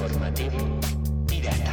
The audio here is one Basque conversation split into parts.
Informativo Pirata.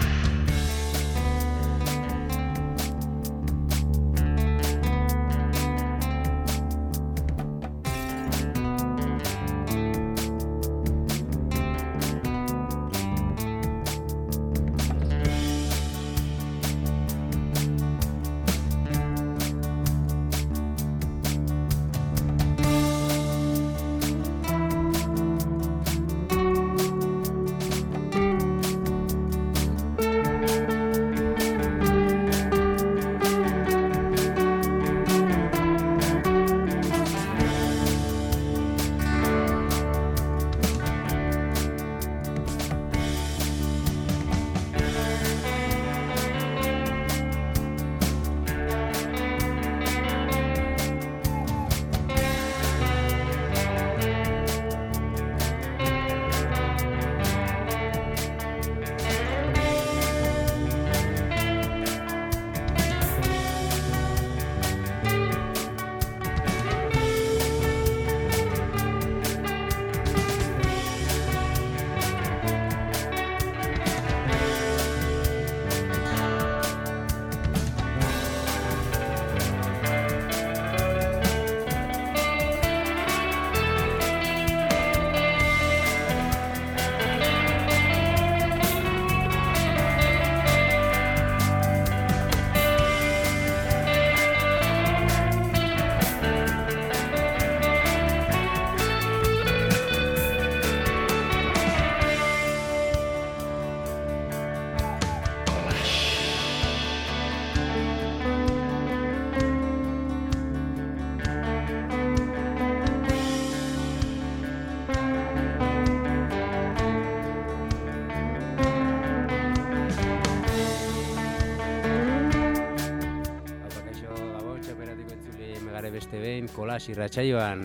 Kolas irratsaioan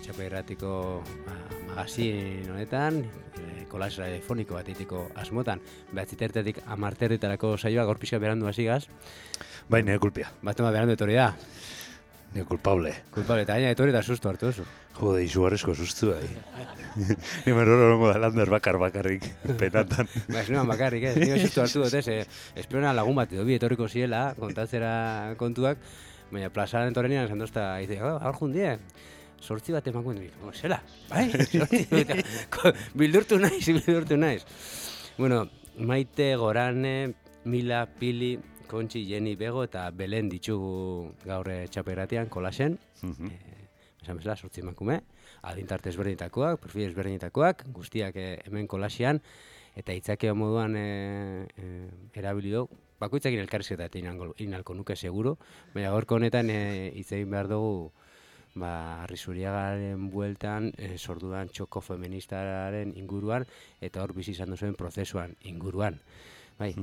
Txapa Irratiko magazin honetan, kolas radiofoniko bat egiteko asmotan, 9:00 10:00 saioa gaur pixka berandu hasigaz. Bai, nire kulpia. Batema berandu etorri da. Nire kulpable. Kulpable, eta gaina etorri da susto hartu oso. Jode, izugarrizko sustu bai. Nimen horrengo da lander bakarrik, penatan. Ez nuan bakarrik, ez. Nire susto hartu dut, ez. Esperona lagun bat edo bi etorriko ziela, kontatzera kontuak, baina plazaren etorrenian esan dozta, dice, hor jundie, 8 bat emakuen dut. Zela, bai, 8. Bildurtu naiz. Bueno, Maite, Gorane, Mila, Pili, Kontxi, Jeni, Bego eta Belen ditugu gaur Txapa Irratian, kolasen. Esan bezala, 8 emakume, adintarte ezberdinetakoak, perfil ezberdinetakoak, guztiak hemen kolasian, eta hitzakeo moduan erabili dugu. Bakoitzakin elkarrizketa inalko nuke seguro, baina gaurko honetan hitz egin behar dugu Arrizuriagaren bueltan sordudan txoko feministaren inguruan eta hor bizi izan duzuen prozesuan inguruan. Bai,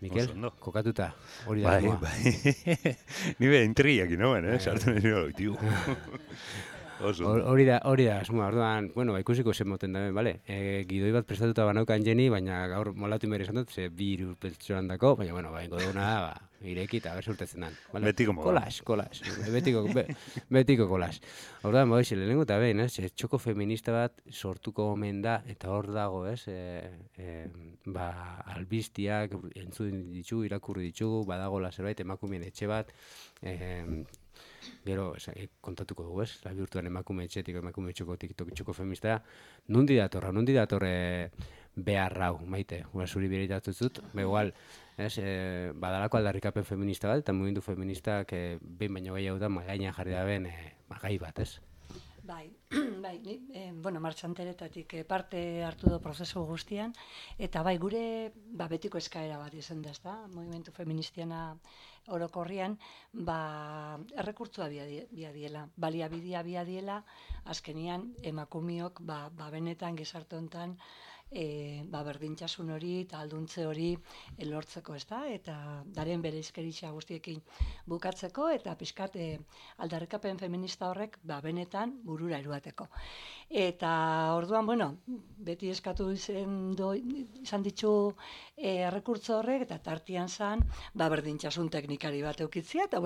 Mikel, kokatuta, hori da. Bai. Ni be intrigiak inoen, sartu nahi nire Hori da, asmoa, orduan, bueno, ikusiko zen moten daben, bale? Gidoi bat prestatuta banaukan Jeni, baina gaur molatu inbere esan dut, ze bi hiru pertsonan dako, baina, bueno, ingo duguna, ireki eta bersurtetzen dan. Betiko moda. Kolas, betiko kolas. Orduan, lehenengo eta behin, txoko feminista bat sortuko omen da, eta hor dago, albiztiak entzun ditugu, irakurri ditugu, badagola zerbait, emakumeen etxe bat, gero, kontatuko dugu, bihurtuan emakume etxetik, emakume txoko feministara, nundi datorre behar hau, Maite, zuri biritatzut, igual, badalako aldarrikapen feminista bat, eta mugimendu feministak behin baino gehiago da, magainan jarri da ben, gai bat, ez? Bai, martxanteretatik parte hartu du prozesu guztian, eta bai, gure betiko eskaera bat izan da, ezta? Mugimendu feministiana orokorrian, errekurtzua biadiela, baliabidia biadiela, azkenian emakumiok, benetan gizarte hontan, berdintzasun hori eta alduntze hori lortzeko, ezta? Eta daren bereizkeritza guztiekin bukatzeko eta pixkat aldarrikapen feminista horrek benetan burura eruateko. Eta orduan, beti eskatu izan ditu errekurtso horrek eta tartian zan berdintzasun teknikari bat eukitzia eta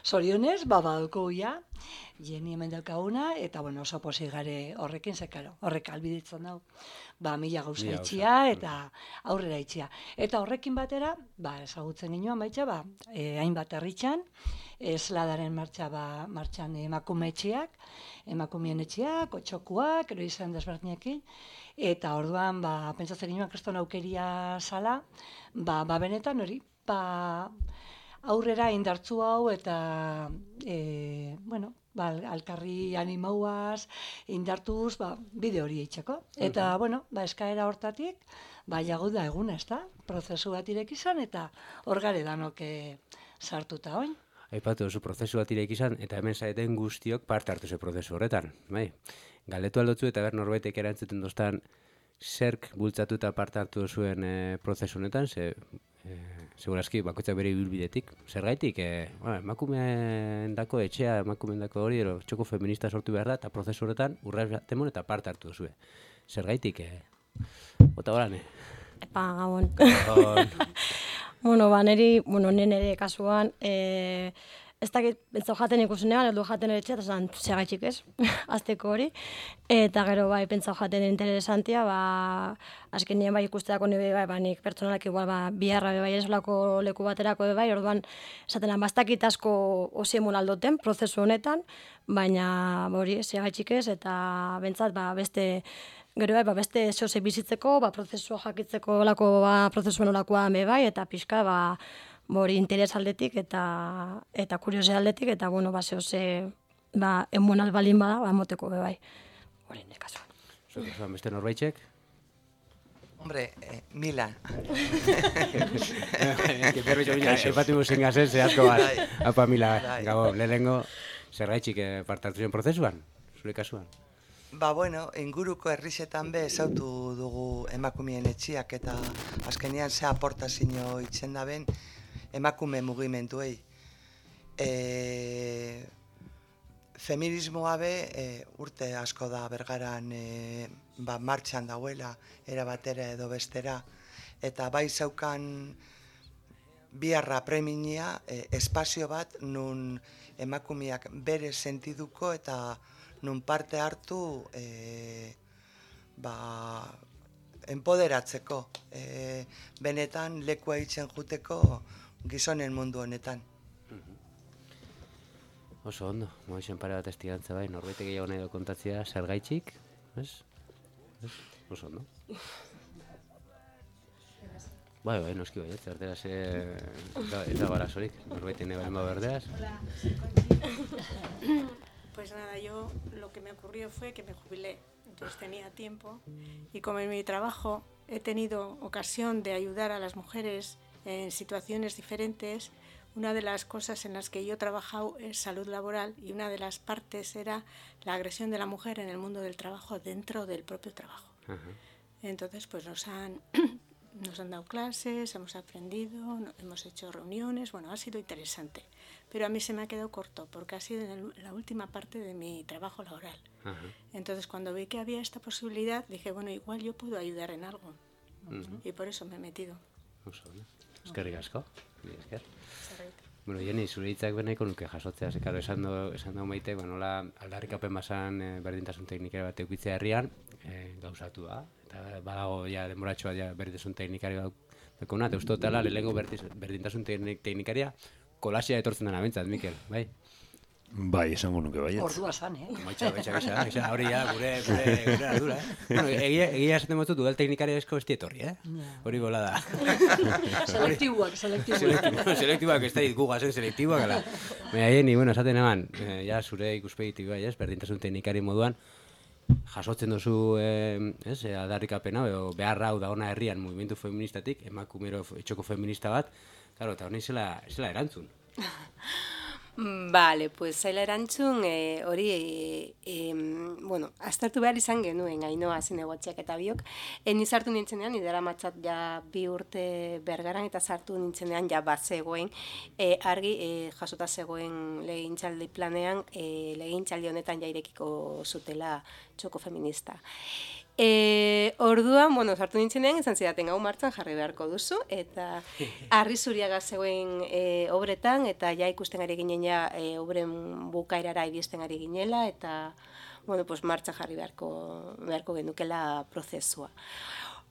zorionez, badauko ja, Jeni hemen daukaguna, eta bueno, oso pozik gare horrekin, zekaro, horrek albiditzen dau, mila gauza itxia eta aurrera itxia. Eta horrekin batera, ezagutzen ginoan baitza, hainbat herritxan, esladaren martxan emakumeetxeak, emakumeen etxeak, otxokuak, ero izan desberdinekin, eta orduan, pentsatzen ginoan kriston aukeria zala, benetan hori, aurrera indartzu hau eta, alkarri animauaz, indartuz, bide hori eitzeko. Eta, eskaera hortatik, jagu da eguna, ez da? Prozesu bat irek izan, eta hor gare danok sartuta oin. Aipatu duzu prozesu bat irek izan, eta hemen zaeten guztiok parte hartu ze prozesu horretan. Galdetu aldotzu eta ber norbaitek erantzuten doztan zerk bultzatu eta parte hartu duzuen prozesu honetan, segurazki bakoitzak bere ibilbidetik. Zergaitik, emakumeendako etxea, emakumeendako hori, txoko feminista sortu behar da, eta prozesu horretan urraz temon eta parte hartu duzue. Zergaitik, bota horane. Epa, gabon. Nire kasuan, ez dakit, bentzau jaten ikusenean, edo jaten ere txeta, zan, segaitxik ez, azteko hori. Eta gero pentsau jaten interesantia, azkenien ikusteako nire nik pertsonalak igual biharra esolako leku baterako orduan, esaten bastakit asko osiemun aldoten, prozesu honetan, baina hori, segaitxik ez, eta bentsat beste, gero beste zehose bizitzeko, prozesua jakitzeko olako, prozesuen olakoa eta pixka, hori interes aldetik eta kuriose aldetik, eta zehose, emuen albalin bada, moteko bai. Hori, nekasuan. Zuen, beste norbaitxek? Hombre, Milan. Permitxo, epatu musen gazen, zehazko bat. Apa, Mila, gabo, lehenengo, zergaitxik parte hartu zen prozesuan, zure kasuan? Inguruko herrixetan ezautu dugu emakumeen etxiak, eta azkenean ze aportazio itzen da ben emakume mugimenduei. Feminismoa urte asko da bergaran martxan dauela, era batera edo bestera, eta bai zaukan biharra preminia espazio bat nun emakumeak bere sentiduko eta nun parte hartu empoderatzeko, benetan lekua itzen juteko gizonen mundu honetan. Oso ondo, moixen pare bat estigantza bai, norbaitek gehiago nahi do kontatzea, zergaitxik, ez? Oso ondo. Bai, noski bai, zertera ez da barazorik, norbaitek nahi baren berdeaz. Pues nada, yo lo que me ocurrió fue que me jubilé, entonces tenía tiempo y como en mi trabajo he tenido ocasión de ayudar a las mujeres en situaciones diferentes, una de las cosas en las que yo he trabajado es salud laboral y una de las partes era la agresión de la mujer en el mundo del trabajo dentro del propio trabajo. Entonces pues nos han dado clases, hemos aprendido, hemos hecho reuniones, ha sido interesante. Pero a mí se me ha quedado corto porque ha sido en la última parte de mi trabajo laboral. Entonces cuando vi que había esta posibilidad dije, igual yo puedo ayudar en algo. Y por eso me he metido. Eskerrik asko. Jeni, zure hitzak benaiko nuke jasotzea, zekaro esan du maite, nola aldarrikapen bazan berdintasun teknikari bat eukitzea herrian, gauzatu da, eta badago denboratxoa berdintasun teknikari bat dekona, eta uste dutela lehenengo berdintasun teknikaria kolasia etortzen dena bentsat, Mikel, bai? Bai, esango nuke bai. Ordua zan, Baitxa, hori gure ardura, Egia esaten motzu duel teknikaria esko esti etorri, Hori gola da. Selektiboak. Selektiboak, ez da gugazen selektiboak, ala. Jeni, esaten eman, zure ikuspegitik bai, berdintasun teknikari moduan, jasotzen duzu aldarrikapena, beharra hau da ona herrian mugimendu feministatik, emakumero etxoko feminista bat, eta honi zela erantzun. Vale, pues zaila erantzun, hori, aztertu behar izan genuen, Ainhoa zinegotxeak eta biok. Ni sartu nintzenean, idera matzat 2 urte bergaran, eta sartu nintzenean bat zegoen, argi jasota zegoen legintxaldi planean, legintxaldi honetan irekiko zutela txoko feminista. Orduan, bueno, sartu nintzenean, izan zidaten hau martxan jarri beharko duzu, eta Harri Zuriaga zegoen obretan, eta ja ikusten ari ginen ja obren bukaerara iristen ari ginela, eta, bueno, pues martxan jarri beharko genukela prozesua.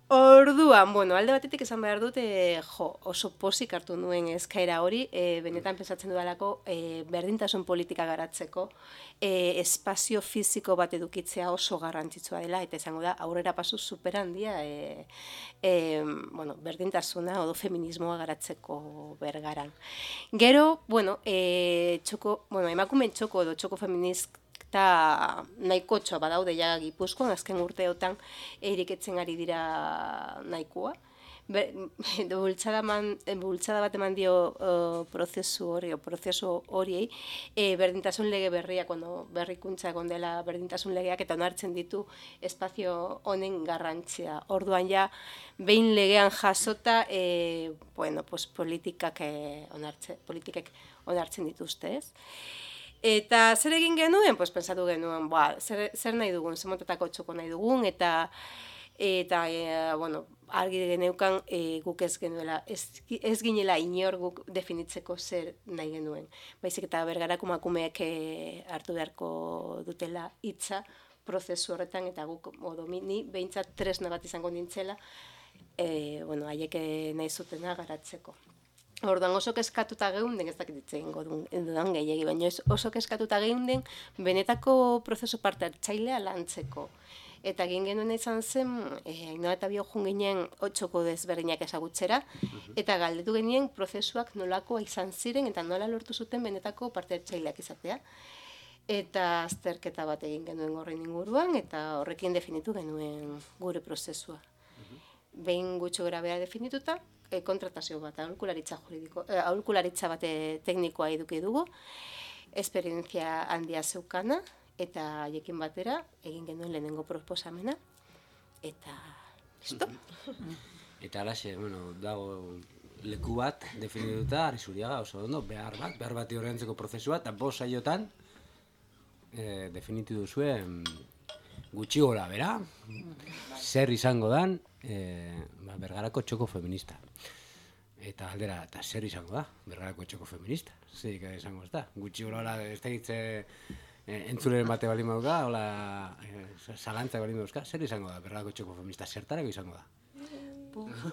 Orduan, bueno, alde batetik esan behar dut, oso pozik hartu nuen eskaera hori, benetan pensatzen dudalako berdintasun politika garatzeko, espazio fisiko bat edukitzea oso garrantzitsua dela, eta izango da, aurrera pasu super handia, bueno, berdintasuna edo feminismoa garatzeko Bergaran. Gero, bueno, emakumeen txoko edo txoko feminista, eta nahiko txoa badaude ja Gipuzkoan, azken urteotan eriketzen ari dira nahikoa. Bultzada bat eman dio prozesu horiei, berdintasun lege berria, berrikuntza egon dela berdintasun legeak, eta onartzen ditu espazio honen garrantzia. Orduan ja, behin legean jasota, politikak onartzen dituzte, ez? Eta zer egin genuen? Pensatu genuen, zer nahi dugun, zer motatako txoko nahi dugun, eta argi geneukan guk ez ginela inor guk definitzeko zer nahi genuen. Baizik eta Bergarako emakumeek hartu beharko dutela hitza prozesu horretan, eta guk ni behintzat tresna bat izango nintzela, haiek nahi zutena garatzeko. Orduan oso kezkatuta geunden, ez dakit ditzen dudan gehiagi, baina oso kezkatuta geunden benetako prozesu parte hartzailea lantzeko. Eta egin genuen izan zen, Ainhoa eta Bio joan ginen txoko desberdinak ezagutzera, eta galdetu genien prozesuak nolakoa izan ziren, eta nola lortu zuten benetako parte hartzaileak izatea. Eta azterketa bat egin genuen horren inguruan, eta horrekin definitu genuen gure prozesua. Behin gutxo grabea definituta, kontratazio bat, aholkularitza bat teknikoa eduki dugu, esperientzia handia zeukana, eta haiekin batera egin genuen lehenengo proposamena, eta listo. Eta alaxe, dago leku bat definituta, Harri Zuriaga oso ondo, behar bat horrentzeko prozesua, eta 5 saiotan definitu duzuen gutxi gora bera, zer izango dan Bergarako txoko feminista. Eta aldera, eta zer izango da, Bergarako txoko feminista? Zer izango ez da? Gutxi gora ez da hitze entzulen bate balin mauka, zalantzak balin dauzka, zer izango da Bergarako txoko feminista? Zertarako izango da?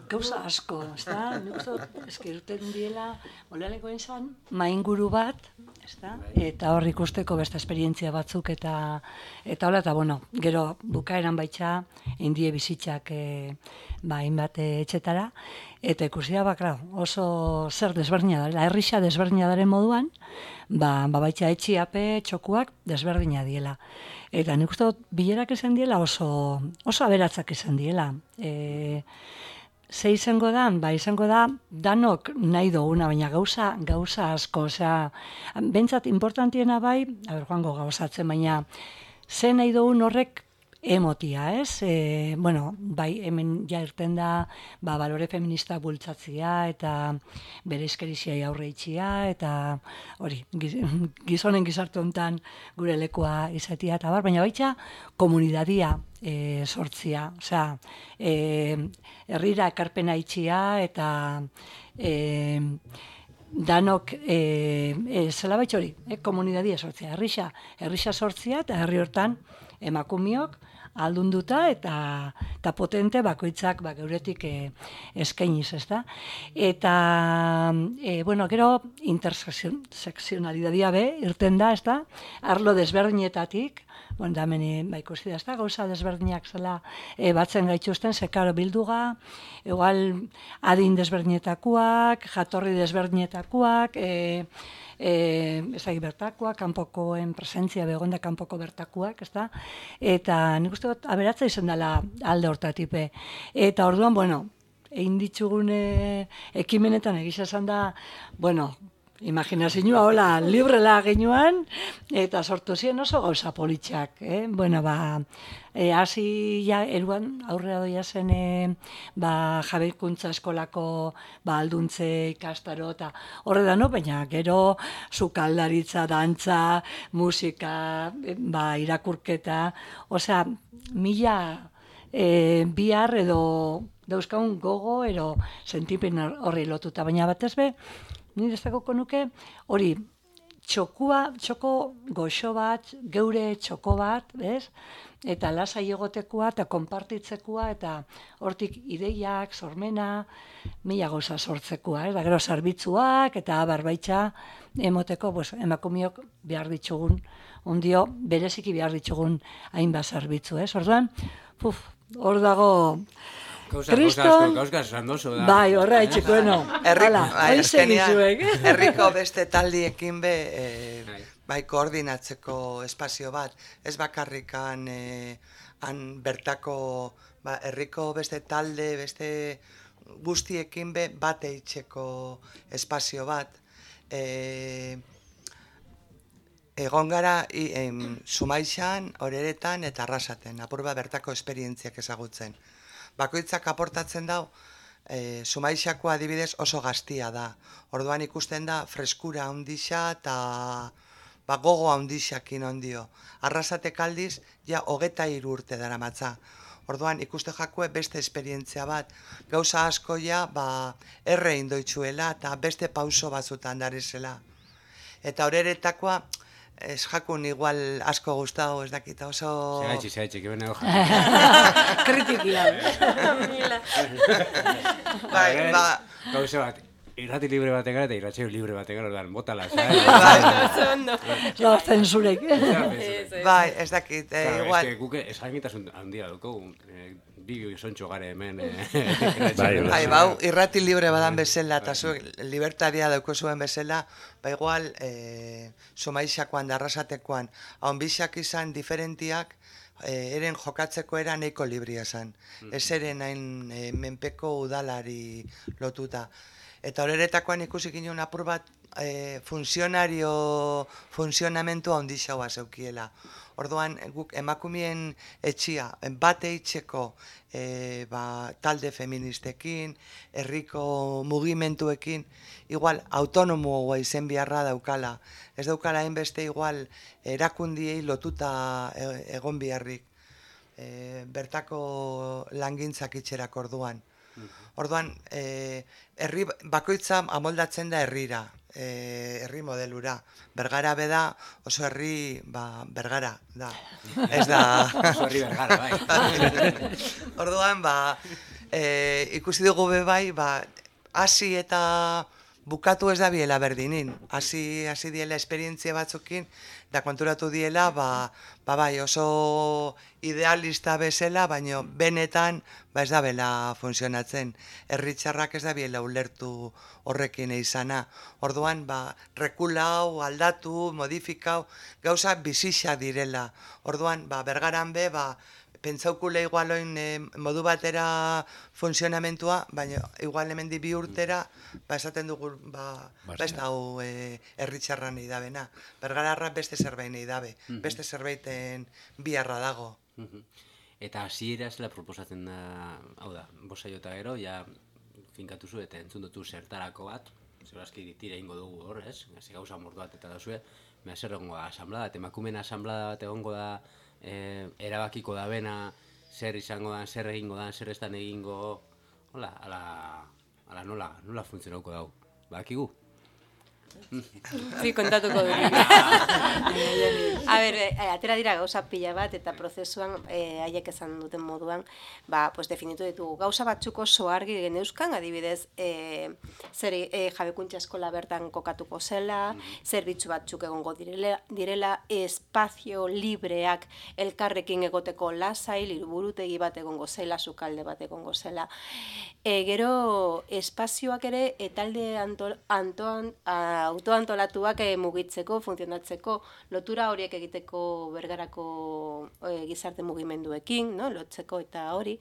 Gauza asko, ez da? Nik uste dut, eskiruten diela, olaleko izan, mainguru bat, ez da? Eta hor ikusteko beste esperientzia batzuk, eta hola, eta gero bukaeran baitxa, indie bizitzak hainbat etxetara, eta ikusi da, oso zer desberdina dela, herrisa desberdina daren moduan, baitxa etxiape txokuak desberdina diela. Eta nik uste dut, bilerak izan diela oso aberatzak izan diela. Ze izango da, izango da, danok nahi duguna, baina gauza asko, bentsat importantiena joango gauzatzen, baina ze nahi dugun horrek emotia, ez? Hemen ja irten da, balore feminista bultzatzia, eta bere izkeriziai aurre itxia, eta hori, gizonen gizartu honetan gure lekua izatea, eta baina baitxa komunidadia sortzia, herrira ekarpena itxia, eta danok, zela baitx hori, komunidadia sortzia, herrisa sortzia, eta herri hortan emakumiok aldunduta eta potente bakoitzak geuretik eskainiz, ez da? Eta, gero intersekzionalidadia irten da, ez da? Arlo desberdinetatik, da hemen ikusi da, ez da? Gauza desberdinak zela batzen gaituzten, zekaro bilduga, igual adin desberdinetakoak, jatorri desberdinetakoak, ezagik bertakoak, kanpokoen presentzia begonda kanpoko bertakoak, ez da? Eta nik uste dut aberatza izan dela alde hortatipe. Eta orduan, egin ditzugun ekimenetan egisa esan da, imaginazioa hola librela genuan, eta sortu ziren oso gauza politxak. Hasi eruan aurrera doia zen jabeikuntza eskolako alduntze ikastaro, eta horre da, baina gero sukaldaritza, dantza, musika, irakurketa, bihar edo dauzkagun gogo edo sentipen horri lotuta, baina batez be, nire ezagoko nuke hori txoko goxo bat, geure txoko bat, bez? Eta lasai egotekoa eta konpartitzekoa eta hortik ideiak, sormena, mila gauza sortzekoa, da gero zerbitzuak eta barbaitza emoteko emakumeok behar ditugun, ondio bereziki behar ditugun hainbat zerbitzu, Orduan, hor dago Gauzka esan dozu da. Bai, horra etxeko, herriko beste taldiekin bai koordinatzeko espazio bat, ez bakarrikan han bertako herriko beste talde, beste guztiekin bat eitzeko espazio bat. Egon gara Sumaixan, Oreretan eta Arrasaten, apur bat bertako esperientziak ezagutzen. Bakoitzak aportatzen dau, Sumaixako adibidez oso gaztia da. Orduan ikusten da freskura handixa eta gogo handixakin ondio. Arrasatek aldiz, ja 23 urte daramatza. Orduan ikuste jakue beste esperientzia bat. Gauza asko ja erre indoitzuela eta beste pauso batzutan darizela. Eta Oreretakoa, ez jakun igual asko gustau, ez dakita oso... Segaitxik, ebene hoja. Kritikia. Gauze bat, irrati libre baten gara eta irratxeo libre baten gara, ordan, botala, Lo zenzurek. Bai, ez dakit, igual... Ez que guke esagitasun handia dugu, bi sontxo gare hemen... irrati libre badan bezala, eta zuek libertaria dauko zuen bezala, igual, Sumaixakoan da Arrasatekoan, haunbixak izan diferentiak, eren jokatzeko era nahiko libria zen. Ez eren hain menpeko udalari lotuta. Eta Oreretakoan ikusi ginen apur bat funtzionamentu handixaua zeukiela. Orduan, guk emakumeen etxia, bat eitzeko talde feministekin, herriko mugimenduekin, igual autonomoa izen beharra daukala. Ez daukala hainbeste igual erakundiei lotuta egon beharrik. Bertako langintzak itxerak orduan. Orduan, herri bakoitza amoldatzen da herrira, herri modelura. Bergara beda oso herri, Bergara da. Ez da... Oso herri Bergara, bai. Orduan, ikusi dugu bai, hasi eta bukatu ez da biela berdinin. Hasi diela esperientzia batzukin, da konturatu diela, bai oso idealista bezala, baina benetan ez da bela funtzionatzen. Herritxarrak ez da biela ulertu horrekin izana. Orduan, rekulau, aldatu, modifikau, gauza bizixa direla. Orduan, Bergaran pentsaukule igualoin modu batera funtzionamentua, baina igual hemendi 2 urtera, esaten dugu, ez da hau herritxarra nahi dabena. Bergararra beste zerbait nahi dabe, beste zerbaiten biharra dago. Eta hasiera zela proposatzen da, hau da, bosa jota gero, ja finkatu zu eta entzun dutu zertarako bat, zerazki tira ingo dugu hor, ez? Gauza mordu bat eta dazue, zer egongo da, asamblada, emakumeen asamblada bat egongo da, erabakiko da bena, zer izango da, zer egingo da, zer estan egingo, hola, ala nola funtzionauko dau, bakigu? Sí, kontatuko dugu. A ber, atera dira gauza pila bat eta prozesuan haiek esan duten moduan, pues definitu ditugu. Gauza batzuk oso argi geneuzkan, adibidez, zer jabekuntza eskola bertan kokatuko zela, zerbitzu batzuk egongo direla, espazio libreak elkarrekin egoteko lasai, liburutegi bat egongo zela, sukalde bat egongo zela. Gero, espazioak ere, talde autoantolatuak mugitzeko, funtzionatzeko, lotura horiek egiteko Bergarako gizarte mugimenduekin, lotzeko eta hori.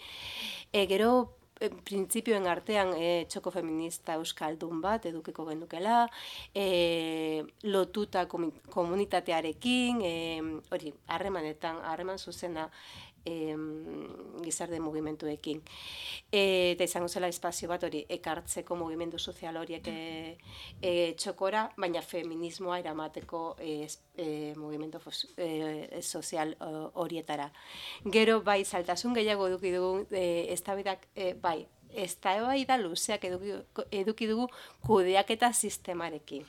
Gero, printzipioen artean txoko feminista euskaldun bat edukiko gendukela, lotuta komunitatearekin, hori, harreman zuzena gizarte mugimenduekin. Eta izango zela espazio bat hori ekartzeko mugimendu sozial horiek txokora, baina feminismoa eramateko mugimendu sozial horietara. Gero bai zailtasun gehiago eduki dugu eztabaidak bai, eztabaida luzeak eduki dugu kudeaketa sistemarekin.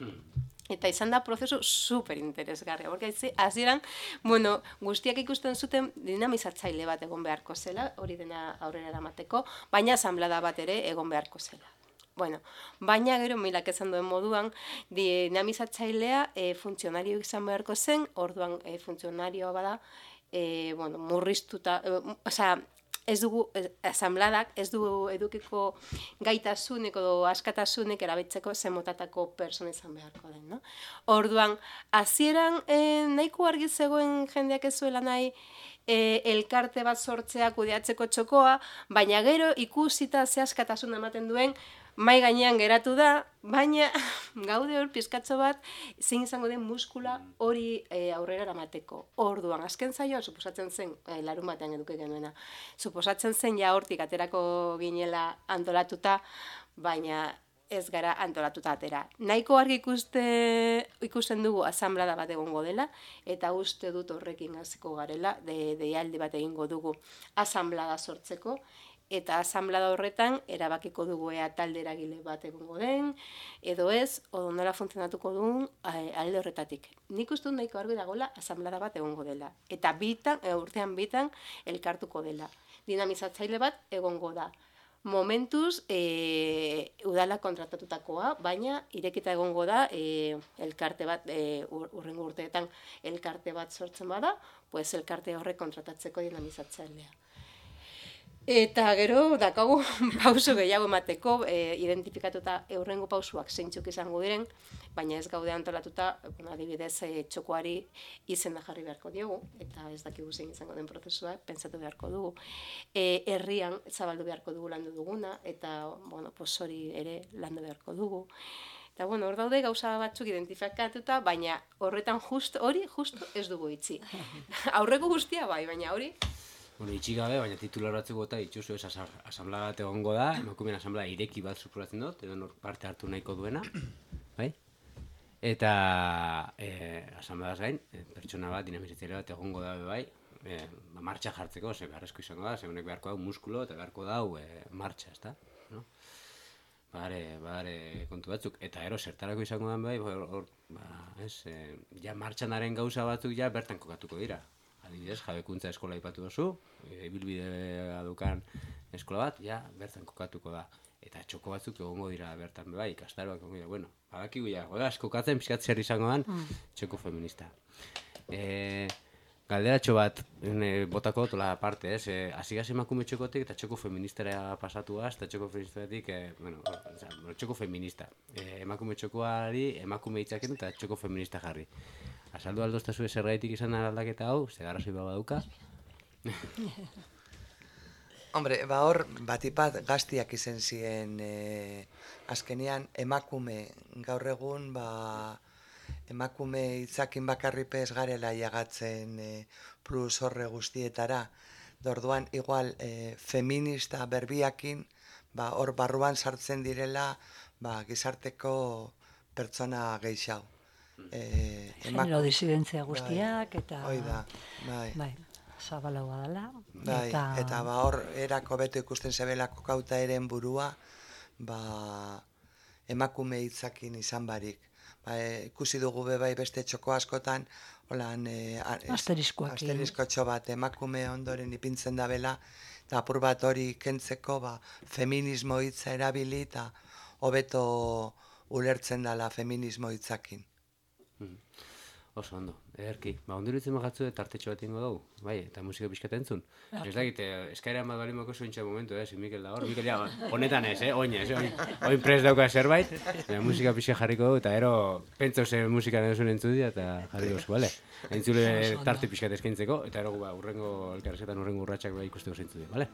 Eta izan da prozesu super interesgarria, porque hasieran, bueno, guztiak ikusten zuten dinamizatzaile bat egon beharko zela, hori dena aurrera eramateko, baina asanblada bat ere egon beharko zela. Bueno, baina gero Milak esan duen moduan, dinamizatzailea funtzionario izan beharko zen, orduan funtzionarioa bada, bueno, murriztuta, osea, ez dugu, asanbladak ez dugu edukiko gaitasunek edo askatasunek erabiltzeko zemotatako persona izan beharko den, no? Orduan, hasieran nahiko argi zegoen jendeak ez zuela nahi elkarte bat sortzea kudeatzeko txokoa, baina gero ikusita ze askatasun ematen duen, mai gainean geratu da, baina gaude hor pizkatxo bat zein izango den muskula hori aurrera eramateko. Orduan, azken zaioa suposatzen zen, larun batean eduki genuena, suposatzen zen ja hortik aterako ginela antolatuta, baina ez gara antolatuta atera. Nahiko argi ikusten dugu asanblada bat egongo dela, eta uste dut horrekin hasiko garela, deialdi bat egingo dugu asanblada sortzeko, eta asanblada horretan erabakiko dugu ea talde eragile bat egongo den, edo ez, odo nola funtzionatuko duen alde horretatik. Nik uste dut nahiko argi dagoela asanblada bat egongo dela. Eta urtean bitan elkartuko dela. Dinamizatzaile bat egongo da. Momentuz, udala kontratatutakoa, baina irekita egongo da elkarte bat, urrengo urteetan elkarte bat sortzen bada, pues elkarte horrek kontratatzeko dinamizatzailea. Eta gero, dakagu pauso gehiago emateko, identifikatuta eurrengo pausuak zeintzuk izango diren, baina ez gaude antolatuta, adibidez, txokoari izena jarri beharko diogu, eta ez dakigu zein izango den prozesua, pentsatu beharko dugu. Herrian zabaldu beharko dugu landu duguna, eta, bueno, hori ere landu beharko dugu. Eta, bueno, hor daude gauza batzuk identifikatuta, baina horretan hori justo ez dugu itxi. Aurreko guztia bai, baina hori... Bueno, itxi gabe, baina titularatzeko eta itxuzu ez asanblada bat egongo da, emakumeen asanblada ireki bat suposatzen dut, edo nor parte hartu nahiko duena, bai? Eta asanbladaz gain, pertsona bat, dinamizatzaile bat egongo da bai, martxa jartzeko, ze beharrezko izango da, ze honek beharko dau muskulu eta beharko dau martxa, ezta? No? Badare kontu batzuk, eta ero zertarako izango da bai, ja martxanaren gauza batzuk ja bertan kokatuko dira. Adibidez, jabekuntza eskola aipatu duzu, ibilbidea dukan eskola bat, ja, bertan kokatuko da. Eta txoko batzuk egongo dira bertan, bai, ikastaroak egongo dira. Bueno, badakigu ja, godaz, kokatzen pixkat zer izango dan, txoko feminista. Galderatxo bat botako tola parte, hasi emakume txokotik eta txoko feministara pasatuaz, eta txoko feministatik, txoko feminista. Emakume txokoari, emakume hitzaken eta txoko feminista jarri. Azaldu aldoztazu zergaitik izan aldaketa hau, ze arrazoi baduka. Hombre, hor batipat gaztiak izen ziren azkenean emakume gaur egun emakume hitzakin bakarripez garela jagatzen plus horre guztietara. Orduan igual feminista berbiakin hor barruan sartzen direla gizarteko pertsona gehiago. Genero disidentzia guztiak eta... Hoi da, bai. Zabalagoa dela. Bai, eta hor erako beto ikusten zebelako kauta eren burua, emakume hitzakin izan barik. Ikusi dugu bai beste txoko askotan, holan asteriskotxo bat emakume ondoren ipintzen da bela, eta apur bat hori kentzeko feminismo hitza erabili eta hobeto ulertzen dela feminismo hitzakin. Oso ondo, ederki. Ondirutzen magatzu tartetxo bat ingo dugu, bai, eta musika pixkata entzun. Ez dakit, eskaeran bat balimako zointxa momentu, Mikel da hor, Mikel ja, honetan ez, oin prest dauka zerbait, musika pixka jarriko dugu, eta ero, pentsau zer musika nahuzun entzudia, eta jarriko zu, bale? Entzule tarte pixkat eskaintzeko, eta ero urrengo elkarrezetan urrengo urratxak ikusteko zentzudia, bale?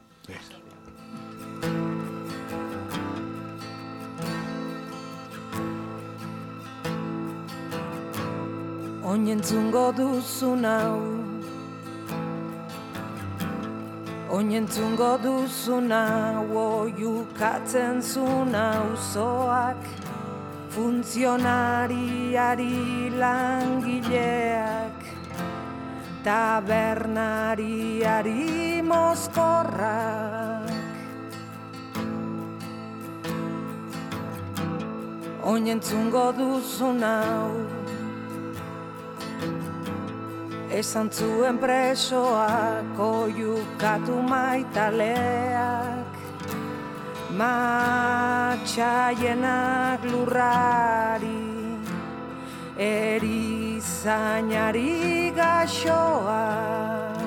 Oinentzungo duzun hau Oinentzungo duzuna, oiukatzen zuna uzoak, funtzionariari langileak, tabernariari mozkorrak. Oinentzungo duzuna, esan zuen presoak, oiukatu maitaleak, matxaienak lurrari, erizainari gaxoak.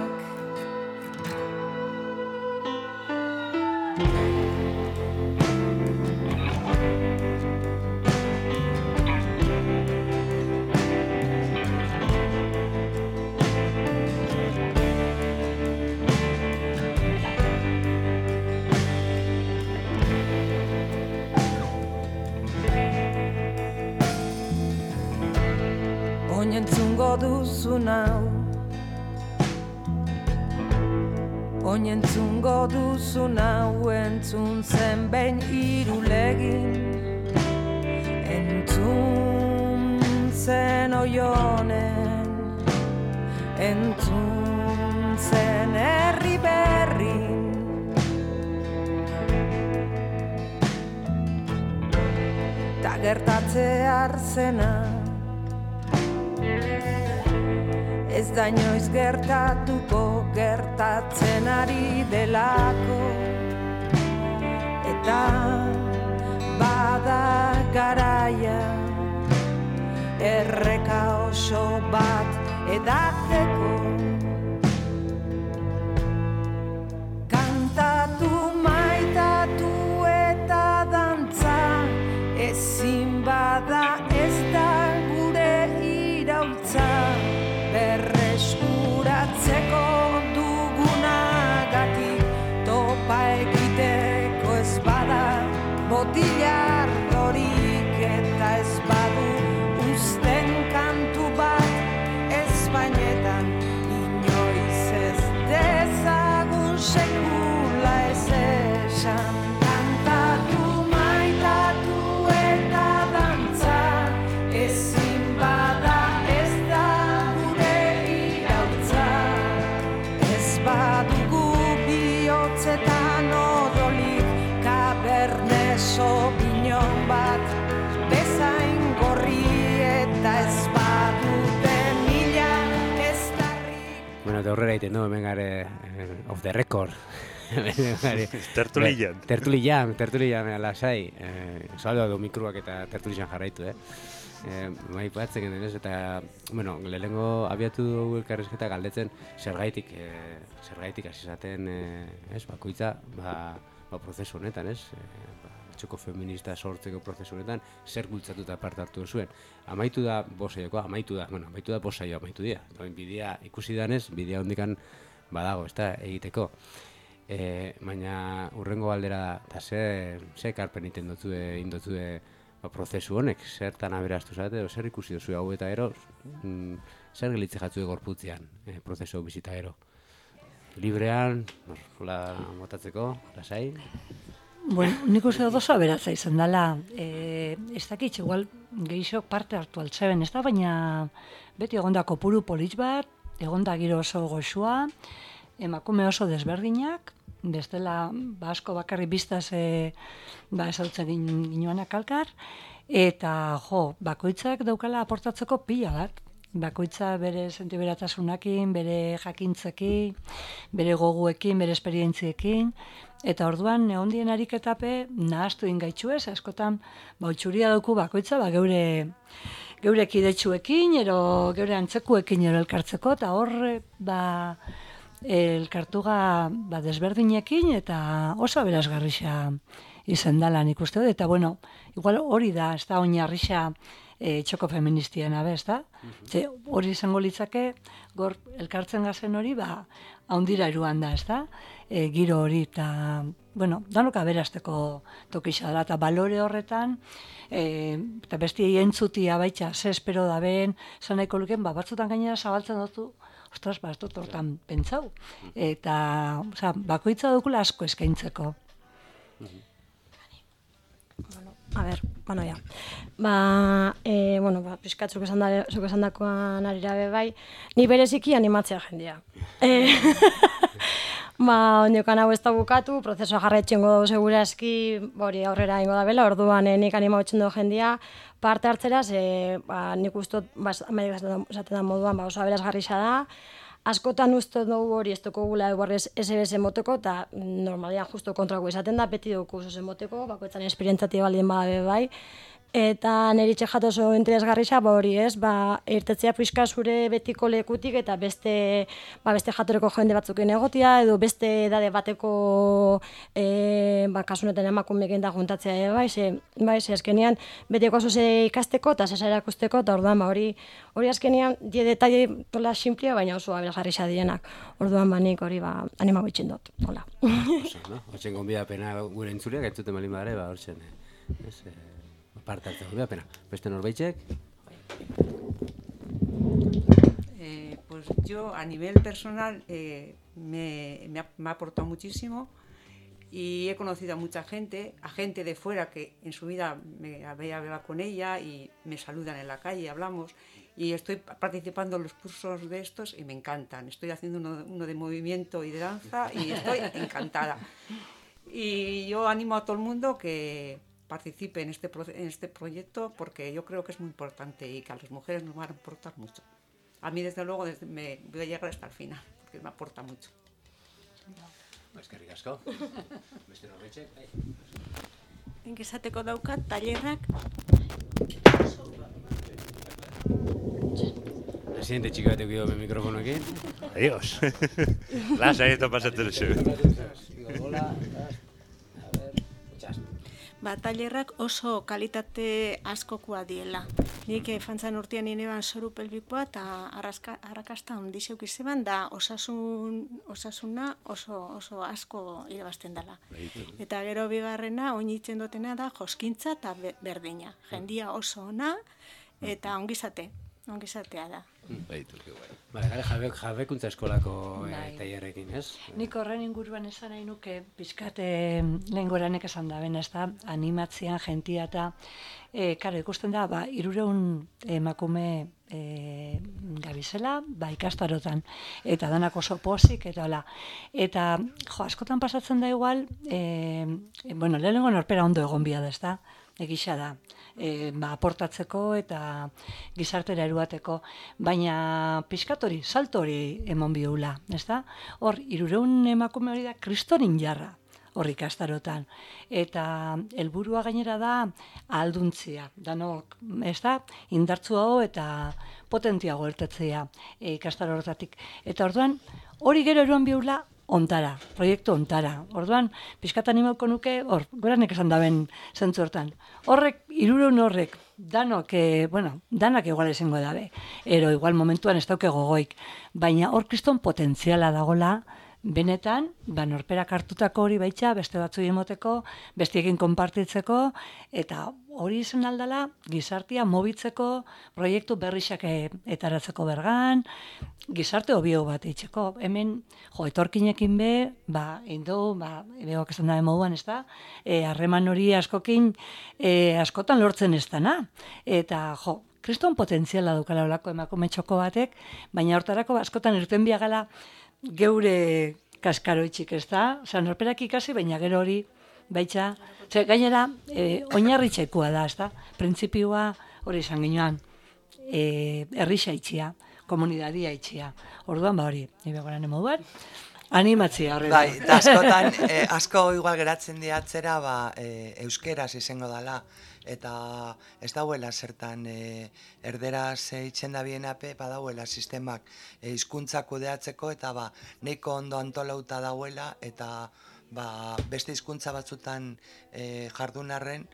Oinentzungo duzun hau, oinentzungo duzun hau, entzun zen behin irulegin, entzun zen oionen, entzun zen herri berrin. Ta gertatze arzena, ez da inoiz gertatuko, gertatzen ari delako, eta bada garaia, erreka oso bat edateko. Kantatu, maitatu eta dantza, ezin bada ez da gure iraultza. Berreskuratzeko dugunagatik, topa egiteko ez bada botilar dorik, eta ez badu uzten kantu bat ezpainetan, inoiz ez dezagun sekula ez esan. Kantatu, maitatu eta dantza, ezin bada bihotzetan odolik, Cabernet Sauvignon bat, bezain gorri eta ez badute mila ez darrik. Bueno, eta horrela egiten du, hemen gare off the record. Tertulian. Tertulian, lasai. Saldo du mikroak eta tertulian jarraitu, Bai, batzen denez, eta, bueno, lehenengo abiatu dugu elkarrizketa galdetzen zergaitik hasi zaten, bakoitza, prozesu honetan, txoko feminista sortzeko prozesu honetan, zer bultzatuta parte hartu zuen. Amaitu da bosaiokoa, amaitu da bosaioa amaitu dira. Bidea ikusi danez, bidea hondikan badago, ez da, egiteko. Baina urrengo galdera, eta ze ekarpen indotue prozesu honek, zertan aberastu zate, zer ikusi duzu hau eta ero, zer gelitze jatzu gorputzean, prozesu bizita ero. Librean, motatzeko, lasai? Bueno, nik uste dut oso aberatza izan dela, ez dakitxe, igual gehiago parte hartu altzeben, ez da, baina beti egonda kopuru polit bat, egonda giro oso goxua, emakume oso desberdinak, bestela asko bakarri biztaz esautzen ginoanak alkar, eta bakoitzak daukala aportatzeko pila bat. Bakoitza bere sentiberatasunakin, bere jakintzekin, bere goguekin, bere esperientziekin, eta orduan ehondien ariketape nahaztu ingaitxuez, askotan utxuria dauku bakoitza geure kidetsuekin, ero geure antzekuekin ero elkartzeko, eta horre elkartuga desberdinekin eta oso aberasgarrixa izan dela nik uste dut, eta bueno, igual hori da, ez da oinarrixa txoko feministiena, ez da? Hori izango litzake, gor elkartzen gazen hori, haundira eruan da, ez da? Giro hori, eta, bueno, danok aberasteko tokixa dela, eta balore horretan, eta besti entzutia baitxa, ze espero da ben, zan nahiko luken, batzutan gainera zabaltzen dutu, ostras, ez dut hortan pentsau. Eta, bakoitza dukula asko eskaintzeko. A ber, ja. Pixkat zuk esan dakoan arira bai, ni bereziki animatzea jendea. Ondiokan hau ez da bukatu, prozesua jarraitxengo dugu segurazki, hori aurrera ingo da bela, orduan nik animatzen dugu jendea, parte hartzera, nik ustot, esaten da moduan, oso aberasgarria da, askotan uste dugu hori ez dugu gula eguarrez SBS moteko, eta normalian justo kontrako izaten da, beti dugu oso moteko, bakoetan esperientzatik baldien badabe bai, eta niri txejat oso interesgarria, hori ez, irtetzea pixka zure betiko lekutik, eta beste jatoreko jende batzuken egotia, edo beste edade bateko kasunetan emakumeekin da juntatzea bai, ze azkenean betiko oso ze ikasteko, eta zesa erakusteko, eta orduan hori azkenean die detaile tola simplea, baina oso aberasgarria dienak. Orduan nik hori animago itxen dut, hola. Hortzen gonbidapena gure entzuleak, entzuten balin badare, hortzen, parte hartzeko gonbidapena. Beste norbaitek? Pues yo a nivel personal me ha aportado muchísimo y he conocido a mucha gente, a gente de fuera que en su vida me había hablado con ella y me saludan en la calle, hablamos y estoy participando en los cursos de estos y me encantan. Estoy haciendo uno de movimiento y de danza y estoy encantada. Y yo animo a todo el mundo que participe en este proyecto porque yo creo que es muy importante y que a las mujeres nos van a aportar mucho. A mí, desde luego, me voy a llegar hasta el final, porque me aporta mucho. Eskerrik asko. Beste norbaitek? Esateko daukat, tailerrak. Presidente txiki batek bideo mikrofonoekin. Adiós. Lasa, esto pasatzen zu. Tailerrak oso kalitate askokoa diela. Nik fantzan urtean ineban soru pelbikoa eta arrakasta ondixeuk izeban da osasuna oso asko irabazten dela. Eta gero bigarrena oinitzen dutena da joskintza eta berdina. Jendia oso ona eta ongizatea da. Jabekuntza eskolako tailerrekin, ez? Nik horren inguruan esan nahi nuke, pixkat lehen goranek esan da, ez da, animatzean jentia eta, ikusten da, 300 emakume gabizela, ikastarotan, eta danak oso pozik, eta hola. Eta, askotan pasatzen da igual, lehenengo norpera ondo egon bia da, ez da? Egisa da, aportatzeko eta gizartera eruateko, baina pixkat hori, salto hori emon bihula, ez da? Hor, 300 emakume hori da kristorin jarra, hor ikastarotan. Eta helburua gainera da ahalduntzia, danok, ez da? Indartzuago eta potentiago ertetzea ikastaro horretatik. Eta orduan, hori gero eruan bihula, ontara, proiektu ontara. Orduan, pixkat animauko nuke, goranek esan daben zentzu hortan. Horrek, 300 horrek, danak igual esango dabe. Ero, igual momentuan ez dauke gogoik. Baina hor kriston potentziala dagola, benetan, norperak hartutako hori baitxa, beste batzui emoteko, bestiekin konpartitzeko, eta hori izan aldala, gizartia mobitzeko, proiektu berrixak etaratzeko bergan, gizarte hobio bat eitzeko. Hemen, etorkinekin behoak esan dabe moduan, ez da, harreman hori askotan lortzen ez dana. Eta, kriston potentziala dukala olako emakume txoko batek, baina hortarako askotan irten biagala geure kaskaroitxik, ez da? Norperak ikasi, baina gero hori baitza, gainera, oinarritxekua da, ez da? Printzipioa hori izan ginoan, herrixa itxia, komunidadia itxia. Orduan, hori, nire goran moduan, animatzia horrela. Bai, eta askotan, asko igual geratzen diatzera, euskeraz izango dela, eta ez dauela zertan erderaz itxen da bienape, badauela sistemak hizkuntza kudeatzeko, eta nahiko ondo antolauta dauela, eta beste hizkuntza batzutan jardunarren,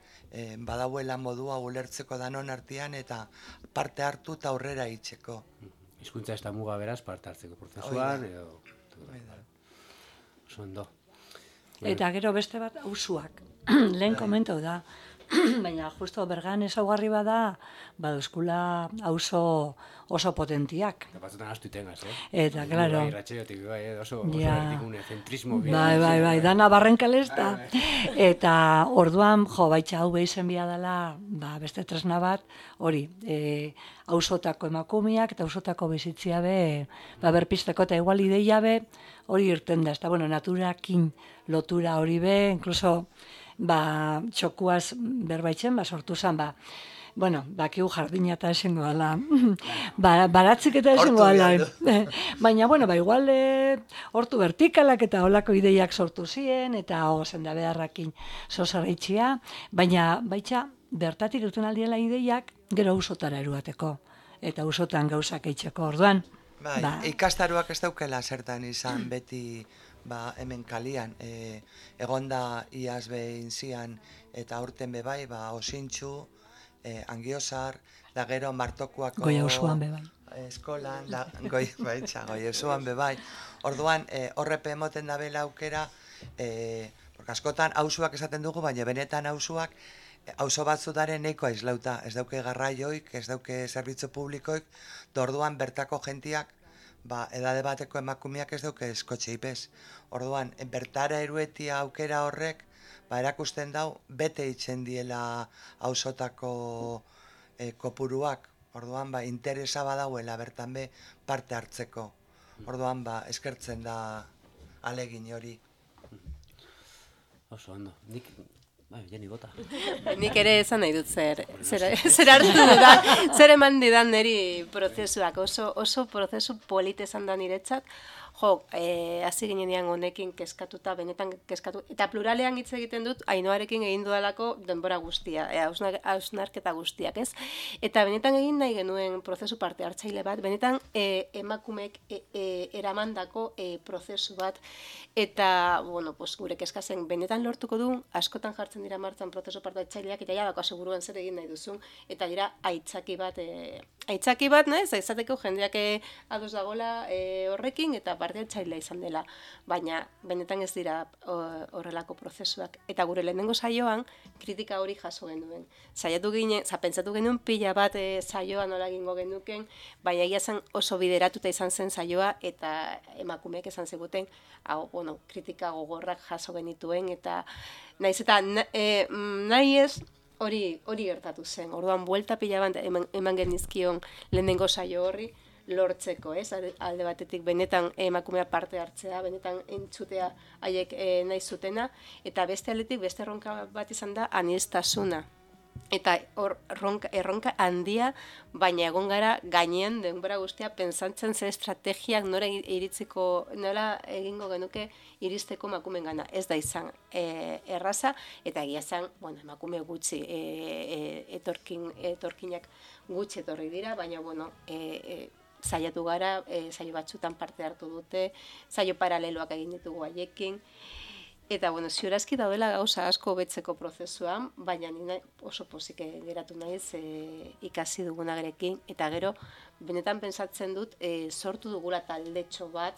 badauela modua ulertzeko danon artean, eta parte hartu eta aurrera itxeko. Hizkuntza ez da muga beraz parte hartzeko prozesuan, edo... Oso ondo. Eta gero beste bat, usuak. Lehen komentau da, baina justo bergan ezaugarri bada, baduzkula auzo oso potentiak. Eta batzutan astu itengaz, Eta, klaro. Bai, ratxeotik, bai, oso erdikunea, zentrismo. Bai, dana barrenkalesta. Eta orduan, baitxa hau behizen bia dela, beste tresna bat, hori, auzotako emakumeak eta auzotako bizitzia be, berpisteko eta igual ideia be, hori irten da, eta bueno, naturakin lotura hori be, inkluso, txokuaz berbaitzen, sortu zen, bueno, bakigu jardina eta esengo ala, baratzik eta esengo ala. Baina, bueno, igual hortu vertikalak eta olako ideiak sortu ziren, eta zenda beharrakin zozarritxia, baina baitxa, bertatik irten aldiela ideiak, gero ausotara eruateko, eta ausotan gauzak eitzeko orduan. Ikastaruak ez daukela zertan izan beti hemen kalian, egonda iaz behin zian eta aurten bebai, osintxu, Angiosar, da gero Martokuako Goiauzuan bebai. Eskolan, Goiauzuan bebai. Orduan, horrepe emoten da bela aukera, askotan auzuak esaten dugu, baina benetan auzuak, auzo batzutaren neiko aizlauta, ez dauke garraioik, ez dauke zerbitzu publikoik, orduan bertako jentiak, edade bateko emakumeak ez dauke eskotxe ipez. Orduan, bertara eruetia aukera horrek, erakusten dau, bete itzen diela auzotako kopuruak. Orduan, interesa badauela bertan be parte hartzeko. Orduan, eskertzen da alegin hori. Oso ondo. Jeni bota. Nik ere esan nahi dut zer hartu dudan, zer eman didan niri prozesuak. Oso prozesu polite esan da niretzat. Hasi ginean honekin kezkatuta, benetan kezkatu, eta pluralean hitz egiten dut, Ainoarekin egin dudalako denbora guztia, hausnarketa guztiak, ez? Eta benetan egin nahi genuen prozesu parte hartzaile bat, benetan emakumeek eramandako prozesu bat, eta, bueno, gure kezkazen benetan lortuko du, askotan jartzen dira martzan prozesu parte hartzaileak, eta ja dako aseguruan zer egin nahi duzun, eta dira aitzaki bat, nahez, izateko jendeak ados dagola horrekin, eta parte hartzailea izan dela, baina benetan ez dira horrelako prozesuak. Eta gure lehenengo saioan, kritika hori jaso genuen. Pentsatu genuen pila bat saioa nola egingo genuken, baina egia zen oso bideratuta izan zen saioa, eta emakumeek esan ziguten, kritika gogorrak jaso genituen, eta nahi ez, hori gertatu zen. Orduan, buelta pila bat eman genizkion lehenengo saio horri, lortzeko, ez? Alde batetik benetan emakumea parte hartzea, benetan entzutea haiek nahi zutena, eta beste aldetik beste erronka bat izan da aniztasuna. Eta erronka handia, baina egon gara gainean denbora guztia pentsatzen ze estrategiak nola egingo genuke iristeko emakumeen gana. Ez da izan erraza, eta egia zen, emakume gutxi, etorkinak gutxi etorri dira, baina, saiatu gara, saio batzutan parte hartu dute, saio paraleloak egin ditugu haiekin, eta, ziurazki daudela gauza asko betzeko prozesuan, baina nina oso pozik geratu naiz ikasi dugunarekin, eta gero, benetan pentsatzen dut, sortu dugula taldetxo bat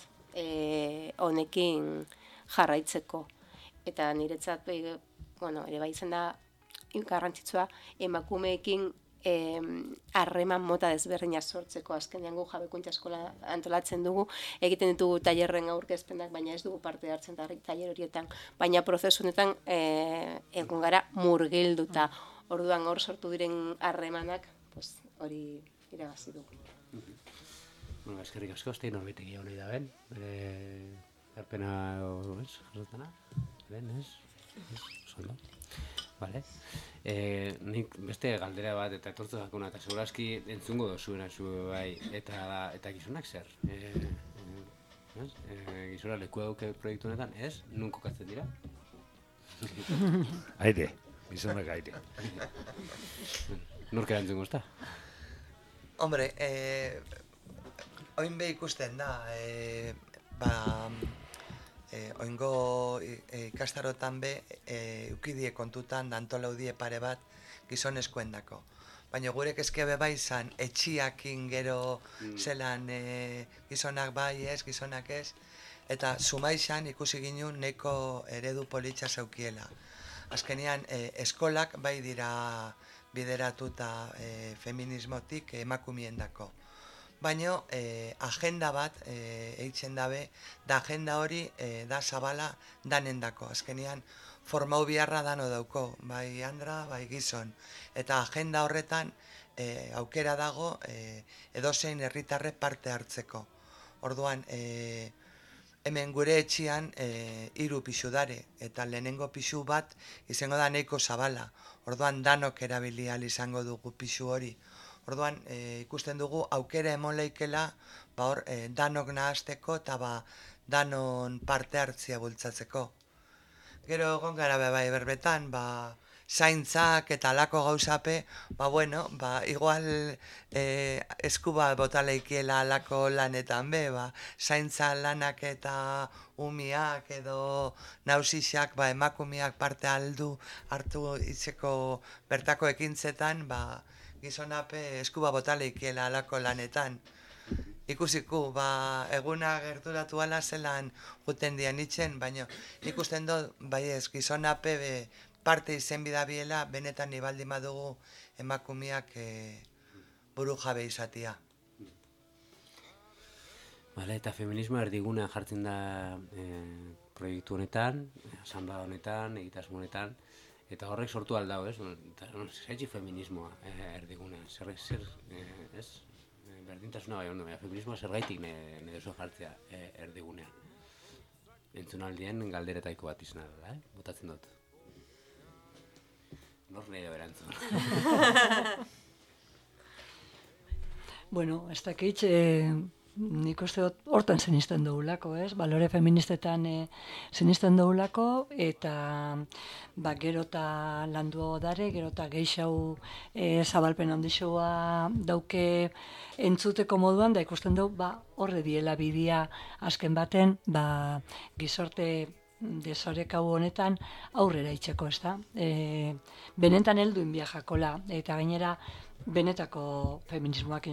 honekin jarraitzeko. Eta niretzat, ere bai izan da, garrantzitsua, emakumeekin harreman mota desberdina sortzeko, azkenean gu jabekuntza eskola antolatzen dugu, egiten ditugu tailerren aurkezpenak, baina ez dugu parte hartzen tailer horietan, baina prozesunetan egon gara murgilduta. Orduan hor sortu diren harremanak, hori irabazi dugu. Eskerrik asko, ez da norbaitek egon nahi da ben, erpena jasotana, ben, ez? Zondo. Vale. Nik beste galdera bat eta etortu dakuna, eta segurazki entzungo dozuena zu bai, eta gizonak zer? Gizona lekua duke proiektu honetan, ez? Nun kokatzen dira? Aire, gizonak aire. Nork erantzungo ezta? Hombre, oin be ikusten da, oingo ikastarotan be, eukidie kontutan, dantolaudie pare bat gizonezkoendako. Baina gure kezke be bai izan, etxiakin gero zelan gizonak bai ez, gizonak ez, eta sumaixan ikusi ginen neko eredu politxa zeukiela. azkenean eskolak bai dira bideratuta feminismotik emakumiendako. Baina agenda bat eitzen dabe, da agenda hori da zabala danendako. Azkenean formau biharra dano dauko, bai andra, bai gizon. Eta agenda horretan aukera dago edozein herritarre parte hartzeko. Orduan, hemen gure etxian 3 pisu dare, eta lehenengo pisu bat izango da nahiko zabala. Orduan danok erabili ahal izango dugu pisu hori. Orduan ikusten dugu aukera emon leikela danok nahazteko eta danon parte hartzia bultzatzeko. Gero egon gara bai berbetan, zaintzak eta alako gauzape, igual eskuba botaleikiela alako lanetan zaintza lanak eta umiak edo nausixak emakumiak parte hartu itzeko bertako ekintzetan, gizonape eskuba botaleikiela alako lanetan. Ikusiku, eguna gerturatu ala zelan juten dian itzen, baina ikusten dut, gizonape parte izen bidabiela, benetan nibaldi madugu emakumiak buru jabe izatia. Bale, eta feminismoa erdigunean jartzen da proiektu honetan, asanblada honetan, egitasmo honetan, eta horrek sortu aldau, ez? Zaitzi feminismoa erdigunean, ez? Berdintasuna bai, feminismoa zergaitik nire duzu jartzea erdigunean. Entzunaldien galderetaiko bat izan da, botatzen dut. Nor nahi da berantzun. Bueno, ez dakit, nik uste dut hortan zenisten dugulako, ez? Balore feministetan zenisten dugulako, eta gero eta landu dare, gero eta geixau zabalpen handixoa dauke entzuteko moduan, da ikusten dugu, horre diela bidea azken baten, gizorte desorek hau honetan aurrera itxeko, ez da? Benetan helduin biajakola, eta gainera benetako feminismoak,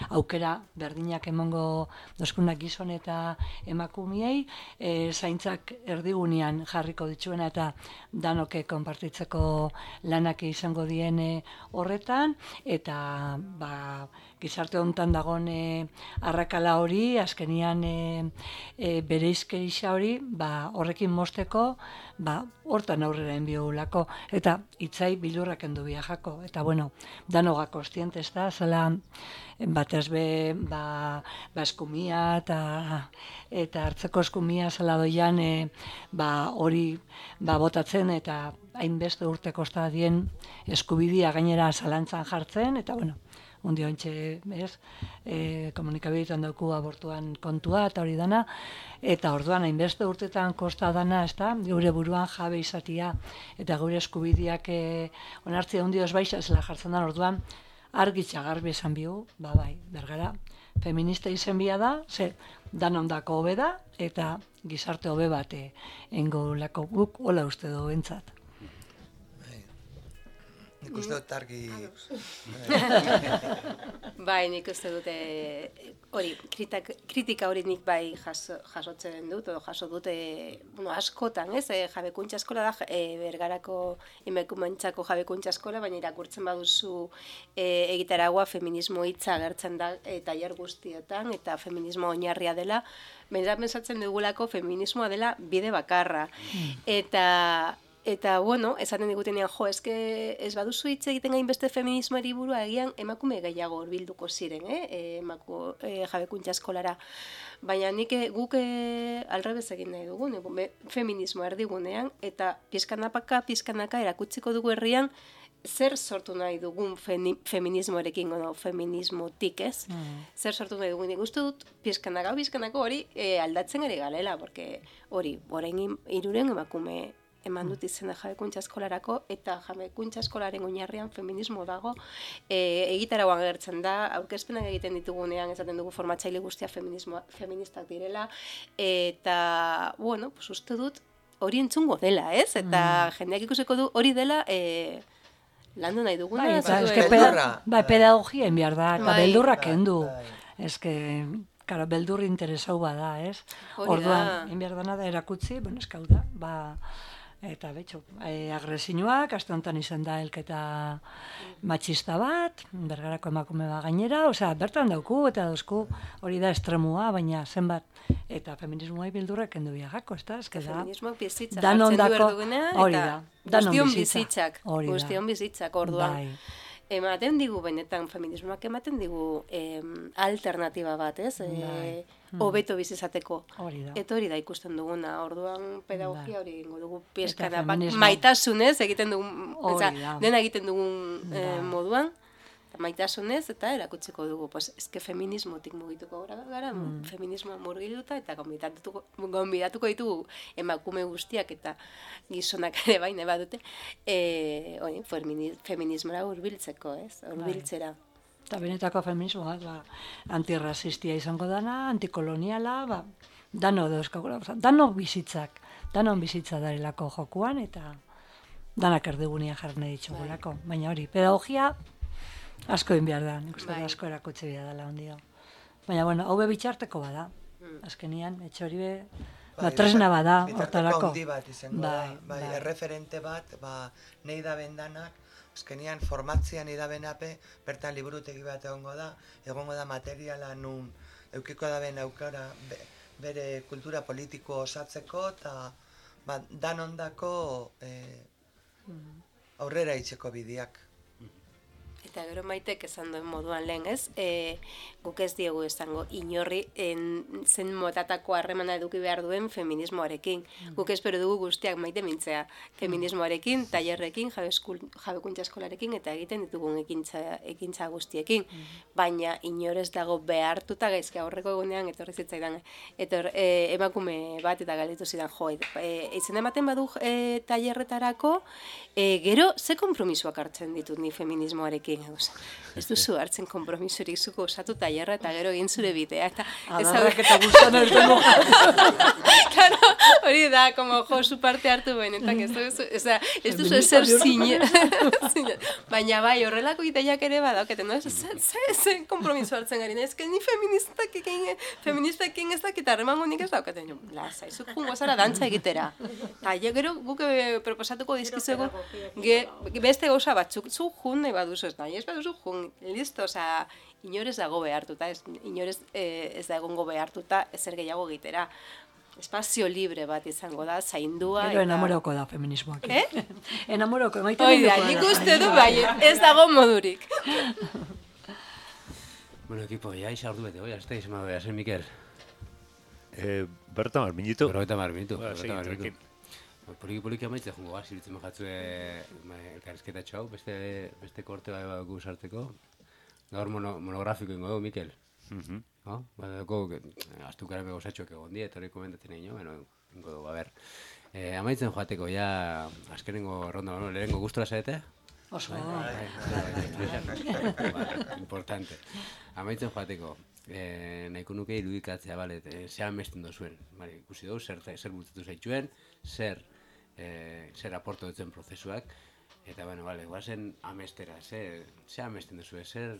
aukera berdinak emango dozkunak gizon eta emakumiei, zaintzak erdigunean jarriko dituena eta danoke konpartitzeko lanak izango dien horretan, eta gizarte honetan dagoen arrakala hori, azkenian bereizkerisa hori, horrekin mosteko, hortan aurrera enbiogulako, eta itzai bilurrak endu biajako, eta danoga kostiente ez da, zela batez be, eskumia eta hartzeko eskumia zela doian hori botatzen, eta hainbeste urte kosta dien eskubidia gainera zalantzan jartzen, eta undi hontxe, komunikabidetan dauku abortuan kontua eta hori dana, eta orduan hainbeste urtetan kosta dana, ez da, gure buruan jabe izatia, eta gure eskubideak onartzea hundi osbaixa zela jartzen da, orduan argitza garbi esan bihu, bergara, feminista izen bia da, danondako hobe da, eta gizarte hobe bat engo lako guk, hola uste du bentsat. Nik uste dut argi... Nik uste dute hori, kritika hori nik jasotzen dut, edo jaso dute askotan, ez? Jabekuntza eskola da, Bergarako emakumentzako jabekuntza eskola, baina irakurtzen baduzu egitaragua feminismo hitza agertzen da tailer guztietan, eta feminismo oinarria dela, baina pentsatzen dugulako feminismoa dela bide bakarra. Eta, esaten digutenean, eske ez baduzu hitz egiten gainbeste feminismoari burua egian emakume gehiago horbilduko ziren, jabekuntza eskolara. Baina guk alrebez egin nahi dugu, feminismo erdigunean, eta pizkanaka erakutsiko dugu herrian, zer sortu nahi dugun feminismoarekin, feminismotik, ez? Zer sortu nahi dugun, nik uste dut, pizkanako hori aldatzen ere galela, porque hori, orain 3 emakume eman dut izena jabekuntza eskolarako, eta jabekuntza eskolaren oinarrian feminismo dago, egitaragoan agertzen da, aurkezpenak egiten ditugunean, esaten dugu formatzaile guztia feministak direla, eta, uste dut, hori entzungo dela, ez? Eta jendeak ikusiko du hori dela, landu nahi duguna. Pedagogia enbiar da, eta beldurra kendu. Ez que, beldur interesau bada, ez? Orduan, enbiar dana da erakutzi, eskau da, Eta betxo, agresioak, aste honetan izan da elketa matxista bat, Bergarako emakume bat gainera, osea, bertan dauku eta dauzku hori da estremua, baina zenbat, eta feminismoa bildurrek kendu biagako, ez da? Feminismoak bizitzak hartzen du erdugunea, eta guztion bizitzak orduan. Ematen digu, benetan, feminismoak ematen digu alternatiba bat, ez? Hobeto bizizateko. Eta hori da ikusten duguna, orduan pedagogia hori ingo dugu pizkana, maitasunez egiten dugun, dena egiten dugun moduan, maitasunez eta erakutsiko dugu, eske feminismotik mugituko gara, feminismoa murgilduta eta gonbidatuko ditugu emakume guztiak eta gizonak ere baina badute, feminismora hurbiltzeko, hurbiltzera. Eta benetako feminismoa, antirrazistia izango dana, antikoloniala, dano dauzkagula, dano bizitzak, danon bizitza darelako jokuan eta danak erdigunia jarne ditugulako, baina hori, pedagogia asko egin behar da, nik uste asko erakutsi behar dela ondio. Baina, bueno, hau bitxarteko bada, azkenian, etxe hori tresna bada, hortarako. Handi bat izango da, erreferente bat, nahi da bendanak, azkenian formatzean nahi da benape, bertan liburutegi bat egongo da materiala nun eukiko da ben aukara bere kultura politiko osatzeko, eta danondako aurrera itxeko bideak. Eta gero Maitek esan duen moduan lehen, ez? Guk ez diegu esango inorri zen motatako harremana eduki behar duen feminismoarekin. Guk espero dugu guztiak maite mintzea feminismoarekin, tailerrekin, jabekuntza eskolarekin eta egiten ditugun ekintza guztiekin. Baina inorez dago behartuta gaizki aurreko egunean etorri zitzaidan emakume bat eta galdetu zidan izan ematen badu tailerretarako, gero ze konpromisoak hartzen ditut ni feminismoarekin. Ez duzu hartzen konpromisorik zuko osatu tailerra eta gero egin zure bidea. Adarrak eta guztan ertuko. Claro, hori da, como zu parte hartu benetan, ez duzu ezer zine. Baina bai, horrelako ideiak ere badauketen, no? Ze konpromiso hartzen gari, ez que ni feministakin ez dakit harremango nik ez daukaten. Lasa, izuk jungo zara dantza egitera. Eta gero guk proposatuko dizkizuego beste gauza batzuk, zu jun nahi baduzu ez da. Ez baduzu jun, listo, osea, inorez dago behartuta, inorez ez da egongo behartuta ezer gehiago egitera. Espazio libre bat izango da, zaindua. Gero enamoroko da feminismoak. Enamoroko, emaiten dugu da. Nik uste du bai, ez dago modurik. Bueno, equipo, ya isa ordu bete, ya estáis, me voy a ser Miquel. Berta marminitu. Berta marminitu. Poliki amaitze jongo gaz, irutzen majatzue elkarrizketa txau, beste korte bai badugu sarteko. Gaur monografiko ingo dugu, Mikel. Badako, astukaren begosatxoak egon die, etorri komentatzen egin, ingo dugu, a ber. Amaitzen joateko, ja, azkenengo ronda, lehenengo gustora zaete? Oso. Importante. Amaitzen joateko, nahiko nuke irudikatzea, bale, zehan mesten dozuen. Ikusi dugu, zer bultzatu zaitxuen, zer aporto dutzen prozesuak, eta, guazen amestera, ze amesten duzue, ze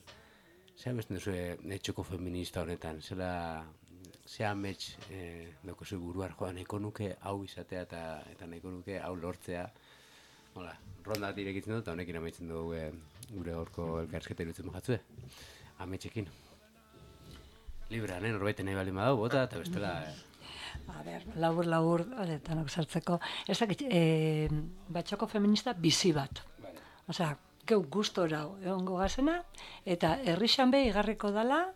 amesten duzue etxoko feminista honetan, ze amets daukozu buruar joan, nahiko nuke hau izatea eta nahiko nuke hau lortzea. Ronda bat irekitzen dut, eta honekin amaitzen dugu gure gorko elkarrizketa irutzen majatzue, ametxekin. Libra, norbaiten nahi baldin badau, bota, eta bestela... A ber, labur, tanok sartzeko. Ez dakit, batxoko feminista bizi bat. Osea, geu gustora egongo gazena, eta herrixan be igarriko dala,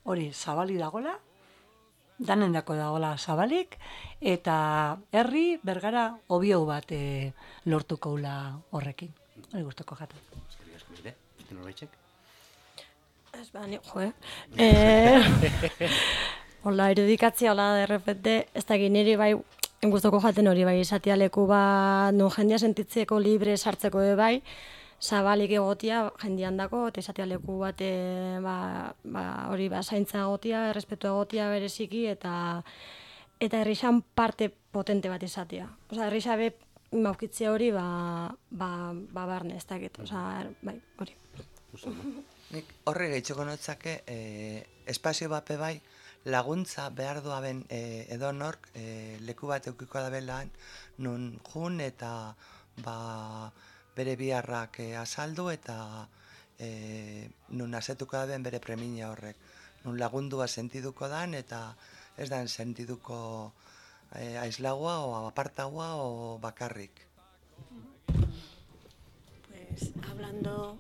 hori zabali dagola, danendako dagola zabalik, eta herri bergara obiau bat lortuko ula horrekin. Hori gustoko jata. Eskerrik asko mire, beste norbaitxek? Ez bani, hola, irudikatzia, hola, derrepente, ez da niri bai, guztoko jaten hori bai, izatea leku bat, non jendia sentitzeko libre sartzeko bai, zabalik egotia jendian dako, eta izatea leku bat, hori zaintza egotia, errespetu egotia bereziki, eta herrixan parte potente bat izatea. Osa, herrixabe maukitzea hori, barne, ez dakit, osa, bai, hori. Nik horre gehitxoko notzake, espazio bape bai, laguntza behar duaben edonork leku bat eukiko da belan, nun jun eta bere biharrak azaldu eta nun asetuko da ben bere premia horrek. Nun lagundua sentiduko dan eta ez dan sentiduko aislagoa o apartagoa o bakarrik. Pues hablando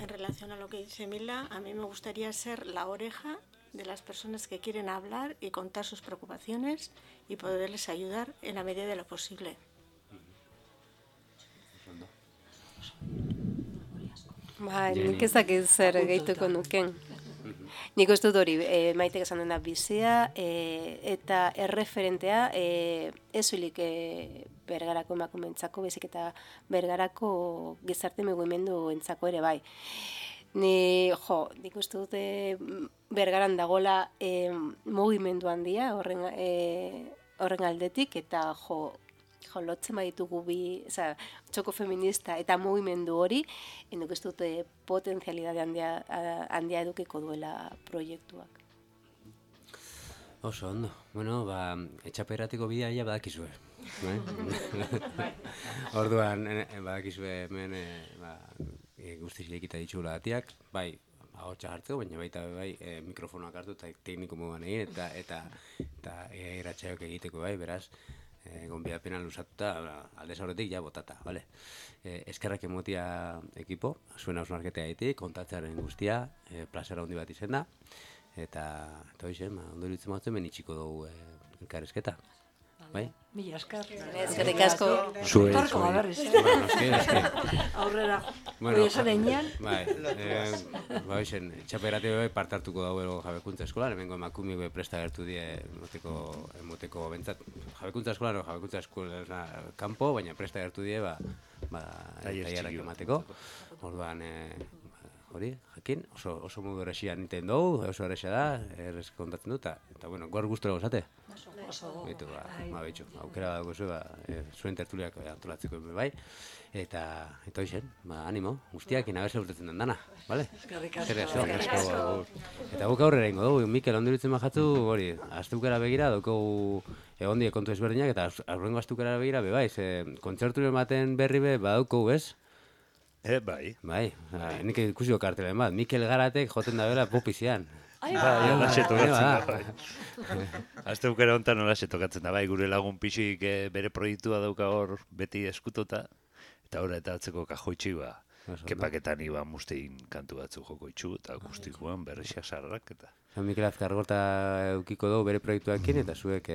en relación a lo que dice Mila, a mí me gustaría ser la oreja de las personas que quieren hablar y contar sus preocupaciones y poderles ayudar en la medida de lo posible. Nik ezak zer gehituko nuken. Nik uste dut hori, Maitek esan dena bizia eta erreferentea ezulik Bergarako emakumeentzako, baizik eta Bergarako gizarte mugimendu entzako ere bai. Nik uste dut Bergaran dagoela mugimendu handia horren aldetik, eta lotzen baditugu txoko feminista eta mugimendu hori, nik uste dut potentzialidade handia edukiko duela proiektuak. Oso ondo. Bueno, etxaperatiko bidea ja badakizue. Orduan, badakizue hemen guztiz irekita ditxula atiak, bai, ahotsa hartzeko, baina baita bai mikrofonoak hartu eta tekniko moduan egin eta eratxaiok egiteko bai, beraz, gonbidapena luzatuta, aldez aurretik ja botata, bale? Eskerrak emotia ekipo, zuen hausnarketea egiteik, kontatzearen guztia, plazera handi bat izen da, eta hoizen, ondo iruditzen batzen ben itxiko dugu elkarrizketa. Bai? Mila esker. Eskerrik asko. Torko berriz, aurrera. Hori esan enean. Bai, hoizen, txaperatio partartuko dago Jabekuntza Eskolan, hemengo emakume presta gertu die emoteko bentzat. Jabekuntza Eskola kanpo, baina presta gertu die tailerrak emateko. Orduan, hori, jakin, oso modu erresia niten dugu, oso erresia da, errez kontatzen dut, eta bueno, gaur guztura gozate? Oso. Beitu, behitxu, aukera dago zuen tertuliak antolatzeko bai, eta hoizen, animo, guztiak inabese urtetzen den dana, bale? Eskerrik asko. Eta guk aurrera ingo dugu, Mikel onduritzen majatzu, hori, astukera begira, daukogu egondie kontu ezberdinak, eta aurrengo astukera begira, bai, kontzerturen baten berri badaukogu, ez? Bai. Bai, nik ikusiko kartelen bat, Mikel Garatek joten da bera popizian. Olaxe tokatzen da, bai. Azte bukera honetan olaxe tokatzen da, bai, gure lagun pixik bere proiektua dauka hor beti eskutota, eta horra eta atzeko kajoitxi kepaketan iban mustein kantu batzu joko itxu, eta akustikoan berrexia sarrak, eta... Mikel Azkargorta eukiko dugu bere proiektuakin, eta zuek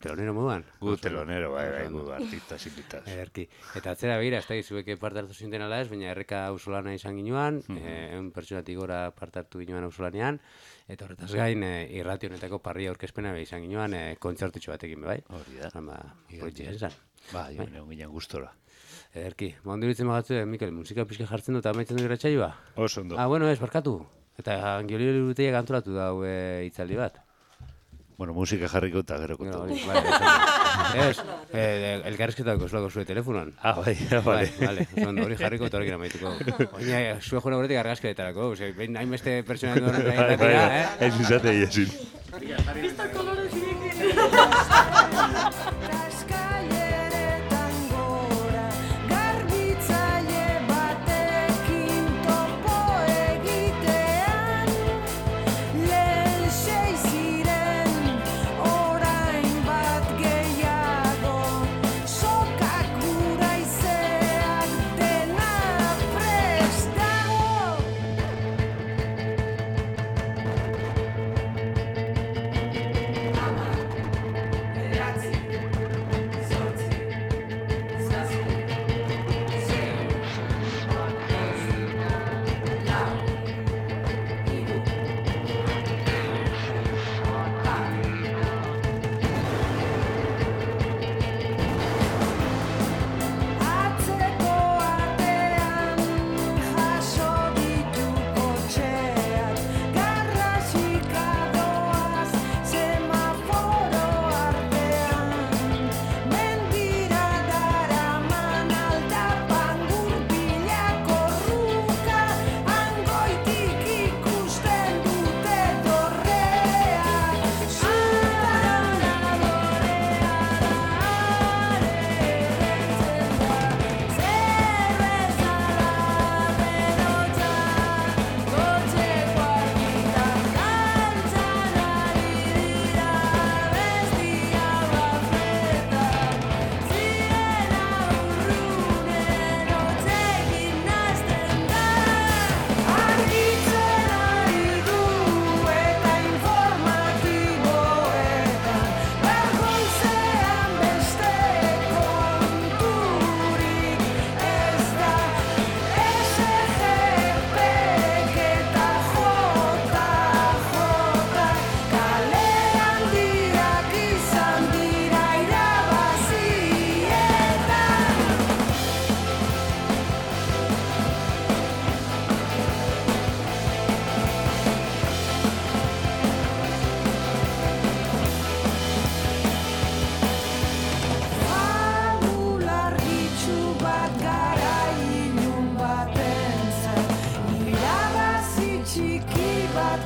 telonero moduan? Gu telonero, bai, gu artistas invitaz. Ederki. Eta atzera begira, ez da, zuek parte hartu zinten ala ez, baina erreka ausolana izan ginoan, egun pertsonatik gora parte hartu ginoan ausolanean, eta horretaz gain, irrati honetako parria aurkezpena izan ginoan, kontzertutxo batekin, bai? Hori da. Proiektu izan. Ba, egon ginen gustora. Ederki. Ondo iruditzen magatzu, Mikel, musika pixka jartzen dut, amaitzen du irratxaioa? Oso ondo. Bueno, ez, barkatu. Eta Angiolio Urruteak antolatu da hitzaldi bat. Bueno, musika jarriko eta gero kontatu. Ez, elkarrizketako zuako zure telefonoan. Bai. Vale, hori jarriko eta horrekin amaituko. Oina, zue joan horretik argazkeetarako, behin hainbeste pertsona edo horretik irratira, Ez izate iezin. Pista kolore zirekin. Grazie.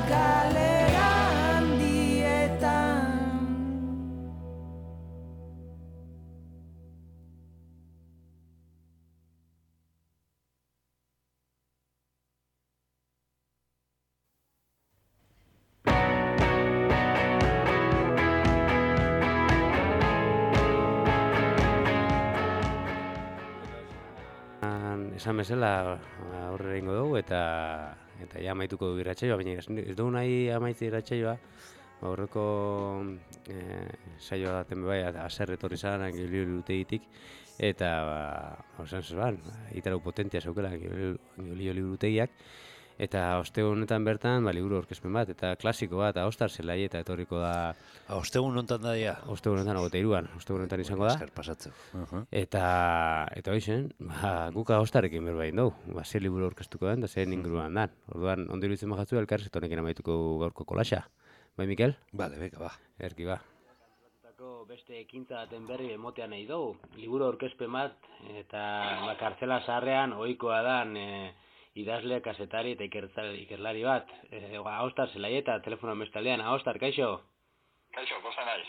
galera handietan. Esan bezala aurrera ingo dugu eta ja amaituko du irratsaioa, baina ez dugu nahi amaitzi irratsaioa, aurreko saioa daten bai, haser etorri zan, Angiolio-Liburutegitik, eta esan zeban, itarau potentia zeukela Angiolio-Liburutegiak, eta ostegun honetan bertan liburu aurkezpen bat, eta klasiko bat, Ahostar zelai eta etorriko da... Ostegun honetan da dia? Ostegun honetan, 23an, ostegun honetan izango da. Esker pasatzeu. Eta hoixen, guk Ahostarekin berbain dugu, ze liburu aurkeztuko den, da zen inguruan dan. Orduan, ondo iruditzen bajatzu, elkarrezketonekin amaituko gaurko kolaxa. Bai, Mikel? Bale, beka, ba. Erki, ba. Beste ekintza baten berri emotean nahi dugu, liburu aurkezpen bat, eta kartzela zaharrean ohikoa dan idazle, kazetari eta ikerlari bat. Ahostar zelaieta, telefonoan bestaldean. Ahostar, kaixo? Kaixo, posta naiz.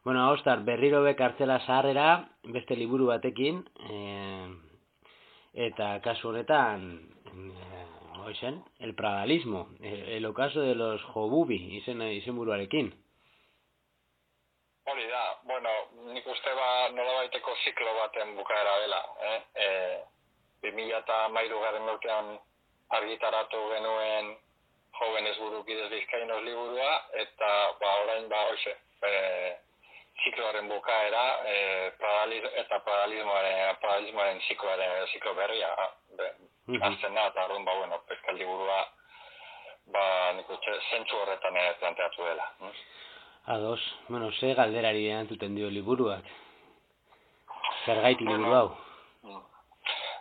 Bueno, Ahostar, berriro be kartzela zaharrera, beste liburu batekin, eta kasu honetan, el pradalismo, el ocaso de los Jobubi, izenburuarekin. Hori da, bueno, nik uste nolabaiteko ziklo baten bukaera dela, 2013 urtean argitaratu genuen Jóvenes Burukides Bizkainos liburua, eta orain hoxe, zikloaren bukaera, eta pradalismoaren ziklo berria, azten da, eta arrun, peskel liburua, nik uste, zentzu horretan planteatu dela. Ados, ze galderari erantzuten dio liburuak? Zergaiti liburu hau?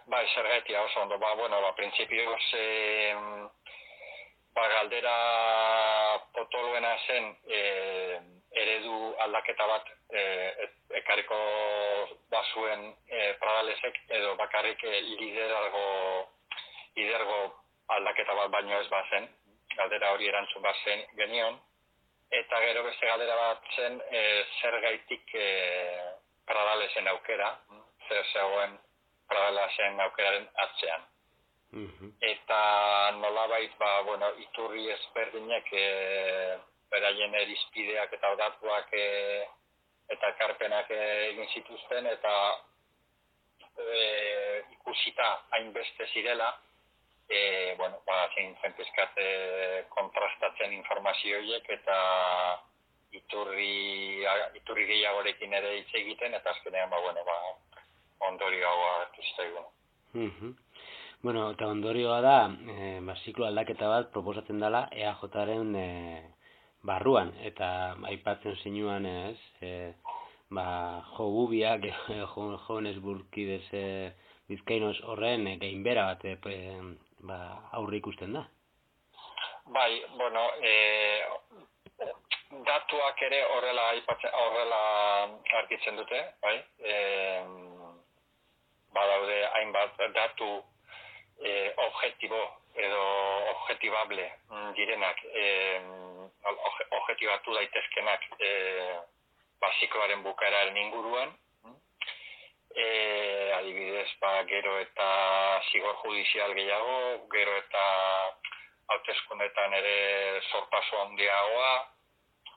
Bai, zergaiti oso ondo, prinsipioz galdera potoluena zen eredu aldaketa bat ekarriko bazuen Pradalesek, edo bakarrik lidergo aldaketa bat baino ez bazen, galdera hori erantzun bazen genion, eta gero beste galdera bat zen zergaitik Pradalesen aukera, zer zegoen Pradalesen aukeraren atzean. Eta nolabait, iturri ezberdinek beraien erizpideak eta datuak eta ekarpenak egin zituzten, eta ikusita hainbeste zirela, zein zen pizkat kontrastatzen informazio horiek eta iturri gehiagorekin ere hitz egiten, eta azkenean ondorioa hartu zitaigun. Eta ondorioa da, ziklo aldaketa bat proposatzen dela EAJaren barruan, eta aipatzen zinuan Jobubiak, Jóvenes Burukides Bizkainos horren gainbera bat aurre ikusten da. Bai, datuak ere horrela argitzen dute, bai? Badaude hainbat datu objektibo edo objektibable direnak, objektibatu daitezkenak zikloaren bukaeraren inguruan. Adibidez, gero eta zigor judizial gehiago, gero eta hauteskundetan ere zorpasu handiagoa,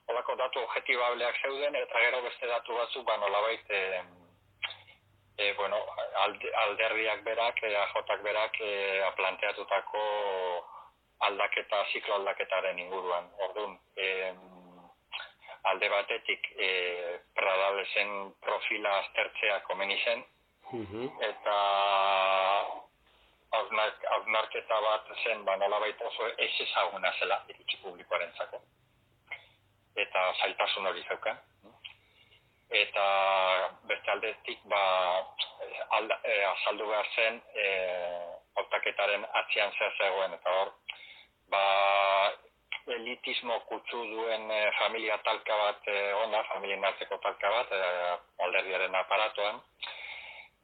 holako datu objektibableak zeuden, eta gero beste datu batzuk nolabait alderdiak berak, AJak berak planteatutako ziklo aldaketaren inguruan. Orduan, alde batetik Pradalesen profila aztertzea komeni zen, eta hausnarketa bat zen nolabait oso ez ezaguna zela iritzi publikoarentzako. Eta zailtasun hori zeukan. Eta beste aldetik azaldu behar zen hautaketaren atzean zer zegoen, eta hor elitismo kutsu duen familia talka bat familien arteko talka bat alderdiaren aparatuan,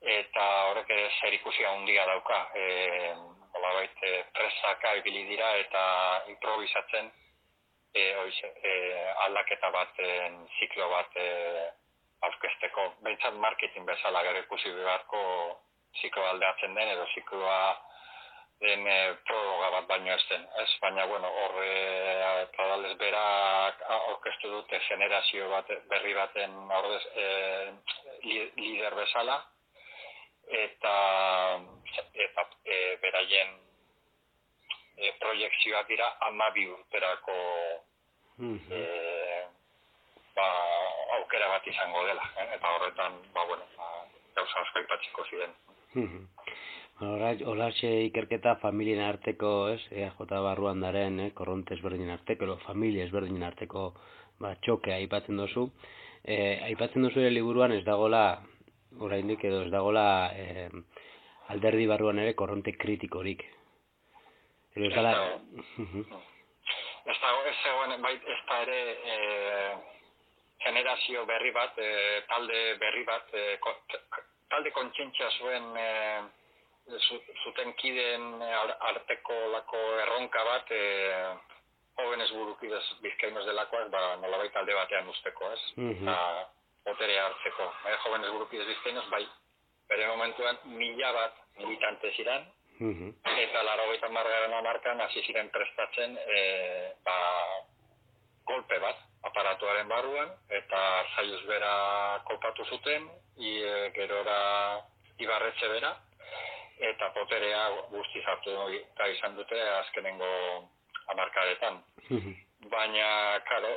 eta horrek zer ikusi handia dauka nolabait presaka ibili dira eta improvisatzen aldaketa baten ziklo bat aurkezteko. Behintzat marketing bezala gero ikusi beharko zikloa aldeatzen den edo zikloa den prologa bat baino ez den. Baina, bueno, hor Pradales berak aurkeztu dute generazio berri baten lider bezala, eta beraien proiekzioak dira 12 urterako aukera bat izango dela, eta horretan, gauza asko aipatzeko ziren. Holatxe ikerketa familien arteko, EAJ barruan daren, korronte ezberdinen arteko, familia ezberdinen arteko txoke aipatzen duzu. Aipatzen duzu ere liburuan ez dagola, oraindik edo ez dagola alderdi barruan ere korronte kritikorik. Ez da ere generazio berri bat, talde berri bat, talde kontzientzia zuen zuten kideen arteko lako erronka bat, jóvenes burukidez bizkainos delakoak, nolabait alde batean usteko, eta boterea hartzeko. Jóvenes burukidez bizkainos, bai, bere momentuan 1000 bat militante ziren, eta 80. hamarkadan hasi ziren prestatzen golpe bat, aparatuaren barruan, eta Zaiuz bera kolpatu zuten, gerora Ibarretxe bera, eta poterea guztiz hartu izan dute azkenengo hamarkadetan. Baina, karo,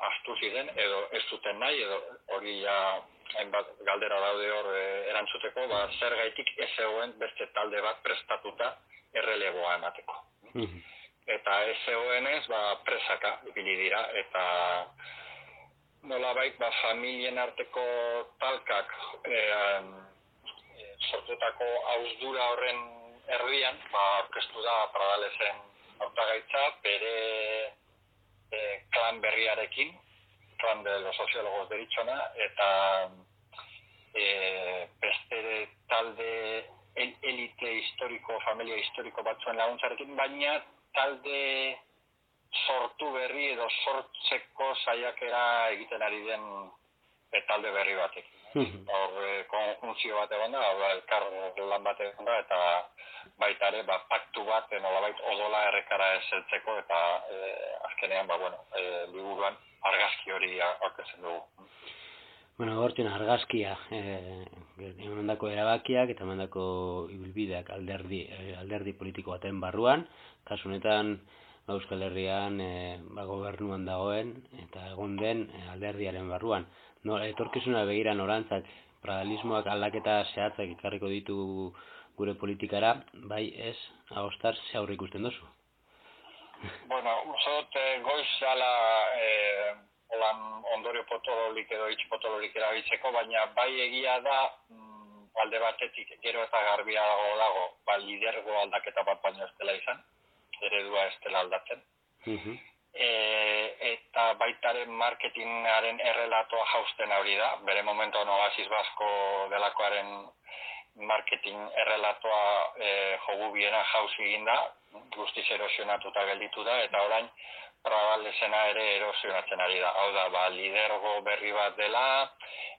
astu ziren, edo ez zuten nahi, edo hori hainbat galdera daude hor erantzuteko, zergaitik ez zegoen beste talde bat prestatuta erreleboa emateko. Eta ez zegoenez, presaka ibili dira, eta nolabait, familien arteko talkak sortutako ausdura horren erdian, aurkeztu da Pradalesen hautagaitza bere klan berriarekin, klan de los sociólogos deritzona, eta beste talde elite historiko, familia historiko batzuen laguntzarekin, baina talde sortu berri edo sortzeko saiakera egiten ari den talde berri batekin. Hor konjunzio bat egon da, elkar lan bat egon da, eta baita ere paktu bat nolabait odola errekara ezeltzeko, eta azkenean liburuan argazki hori aurkezten dugu. Hortzen argazkia, emandako erabakiak eta emandako ibilbideak alderdi politiko baten barruan, kasu honetan Euskal Herrian gobernuan dagoen eta egon den alderdiaren barruan. Etorkizuna begira norantzak, pradalismoak aldaketa zehatzak ekarriko ditu gure politikara, bai ez, agostar, ze aurre ikusten duzu? Uste dut goiz ala ondorio potololik edo hitz potololik erabiltzeko, baina bai egia da alde batetik gero eta garbiago dago, lidergo aldaketa bat baino ez dela izan, eredua ez dela aldatzen. Eta baitaren marketingaren errelatoa jausten hori da, bere momentuan Oasis Basko delakoaren marketing errelatoa jogubiena jauzi egin da, guztiz erosionatuta gelditu da, eta orain Pradalesena ere erosionatzen ari da. Hau da, lidergo berri bat dela,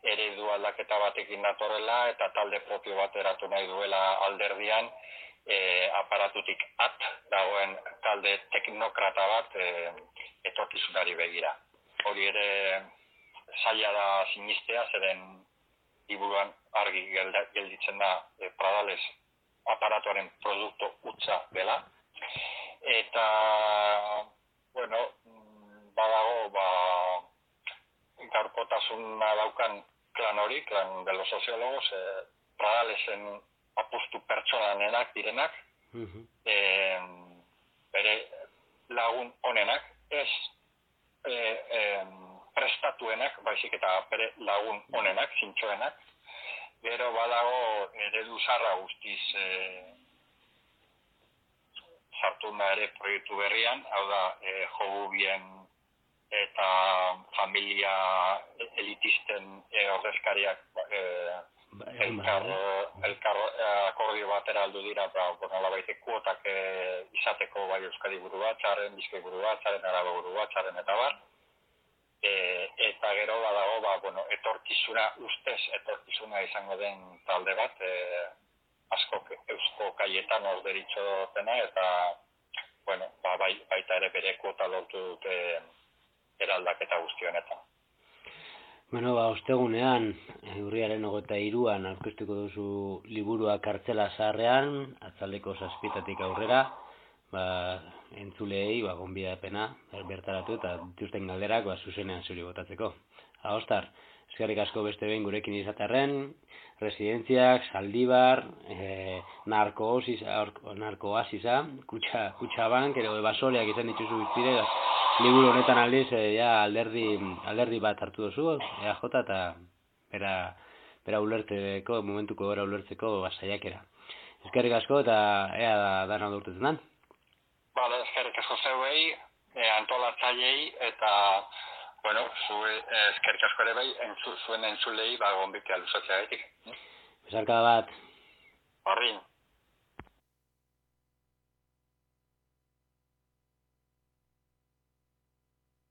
eredu aldaketa batekin datorrela, eta talde propio bat eratu nahi duela alderdian, aparatutik dagoen talde teknokrata bat etorkizunari begira. Hori ere zaila da sinistea, zeren liburuan argi gelditzen da Pradales aparatuaren produktu hutsa dela. Eta, badago, gaurkotasuna daukan klan hori, klan de los sociólogos, Pradalesen apustu pertsonanenak direnak, bere lagun honenak, ez prestatuenak, baizik eta bere lagun honenak, zintxoenak, gero badago eredu zarra guztiz sartu da ere proiektu berrian, hau da, jogu bien eta familia elitisten ordezkariak elkar akordio batera aldu dira, nolabait kuotak izateko bai Euskadi buru batzaren, Bizkai buru batzaren, Araba buru batzaren eta bar. Eta gero badago, etorkizuna izango den talde bat, asko Eusko Kaietanos deritzotena, eta baita ere bere kuota lortu dute eraldaketa guzti honetan. Bueno, ostegunean, urriaren 23an aurkeztuko duzu liburua Kartzela Zaharrean, atzaldeko 7:00 aurrera, entzulei, gonbidapena bertaratu eta dituzten galderak zuzenean zuri botatzeko. Agostar, eskerrik asko beste behin gurekin izatearren, residentziak, Zaldibar, narkoasisa, Kutxabank, ero ebasoleak izan dituzu bizpide, liburu honetan aldiz, alderdi bat hartu duzu, EAJ eta bera ulertzeko, momentuko bera ulertzeko saiakera. Eskerrik asko eta ea dana durtetzen dan. Bale, eskerrik asko zeuei, antolatzaileei eta, eskerrik asko ere bai, zuen entzulei gonbitea luzatzea gaitik. Besarkada bat. Horrin.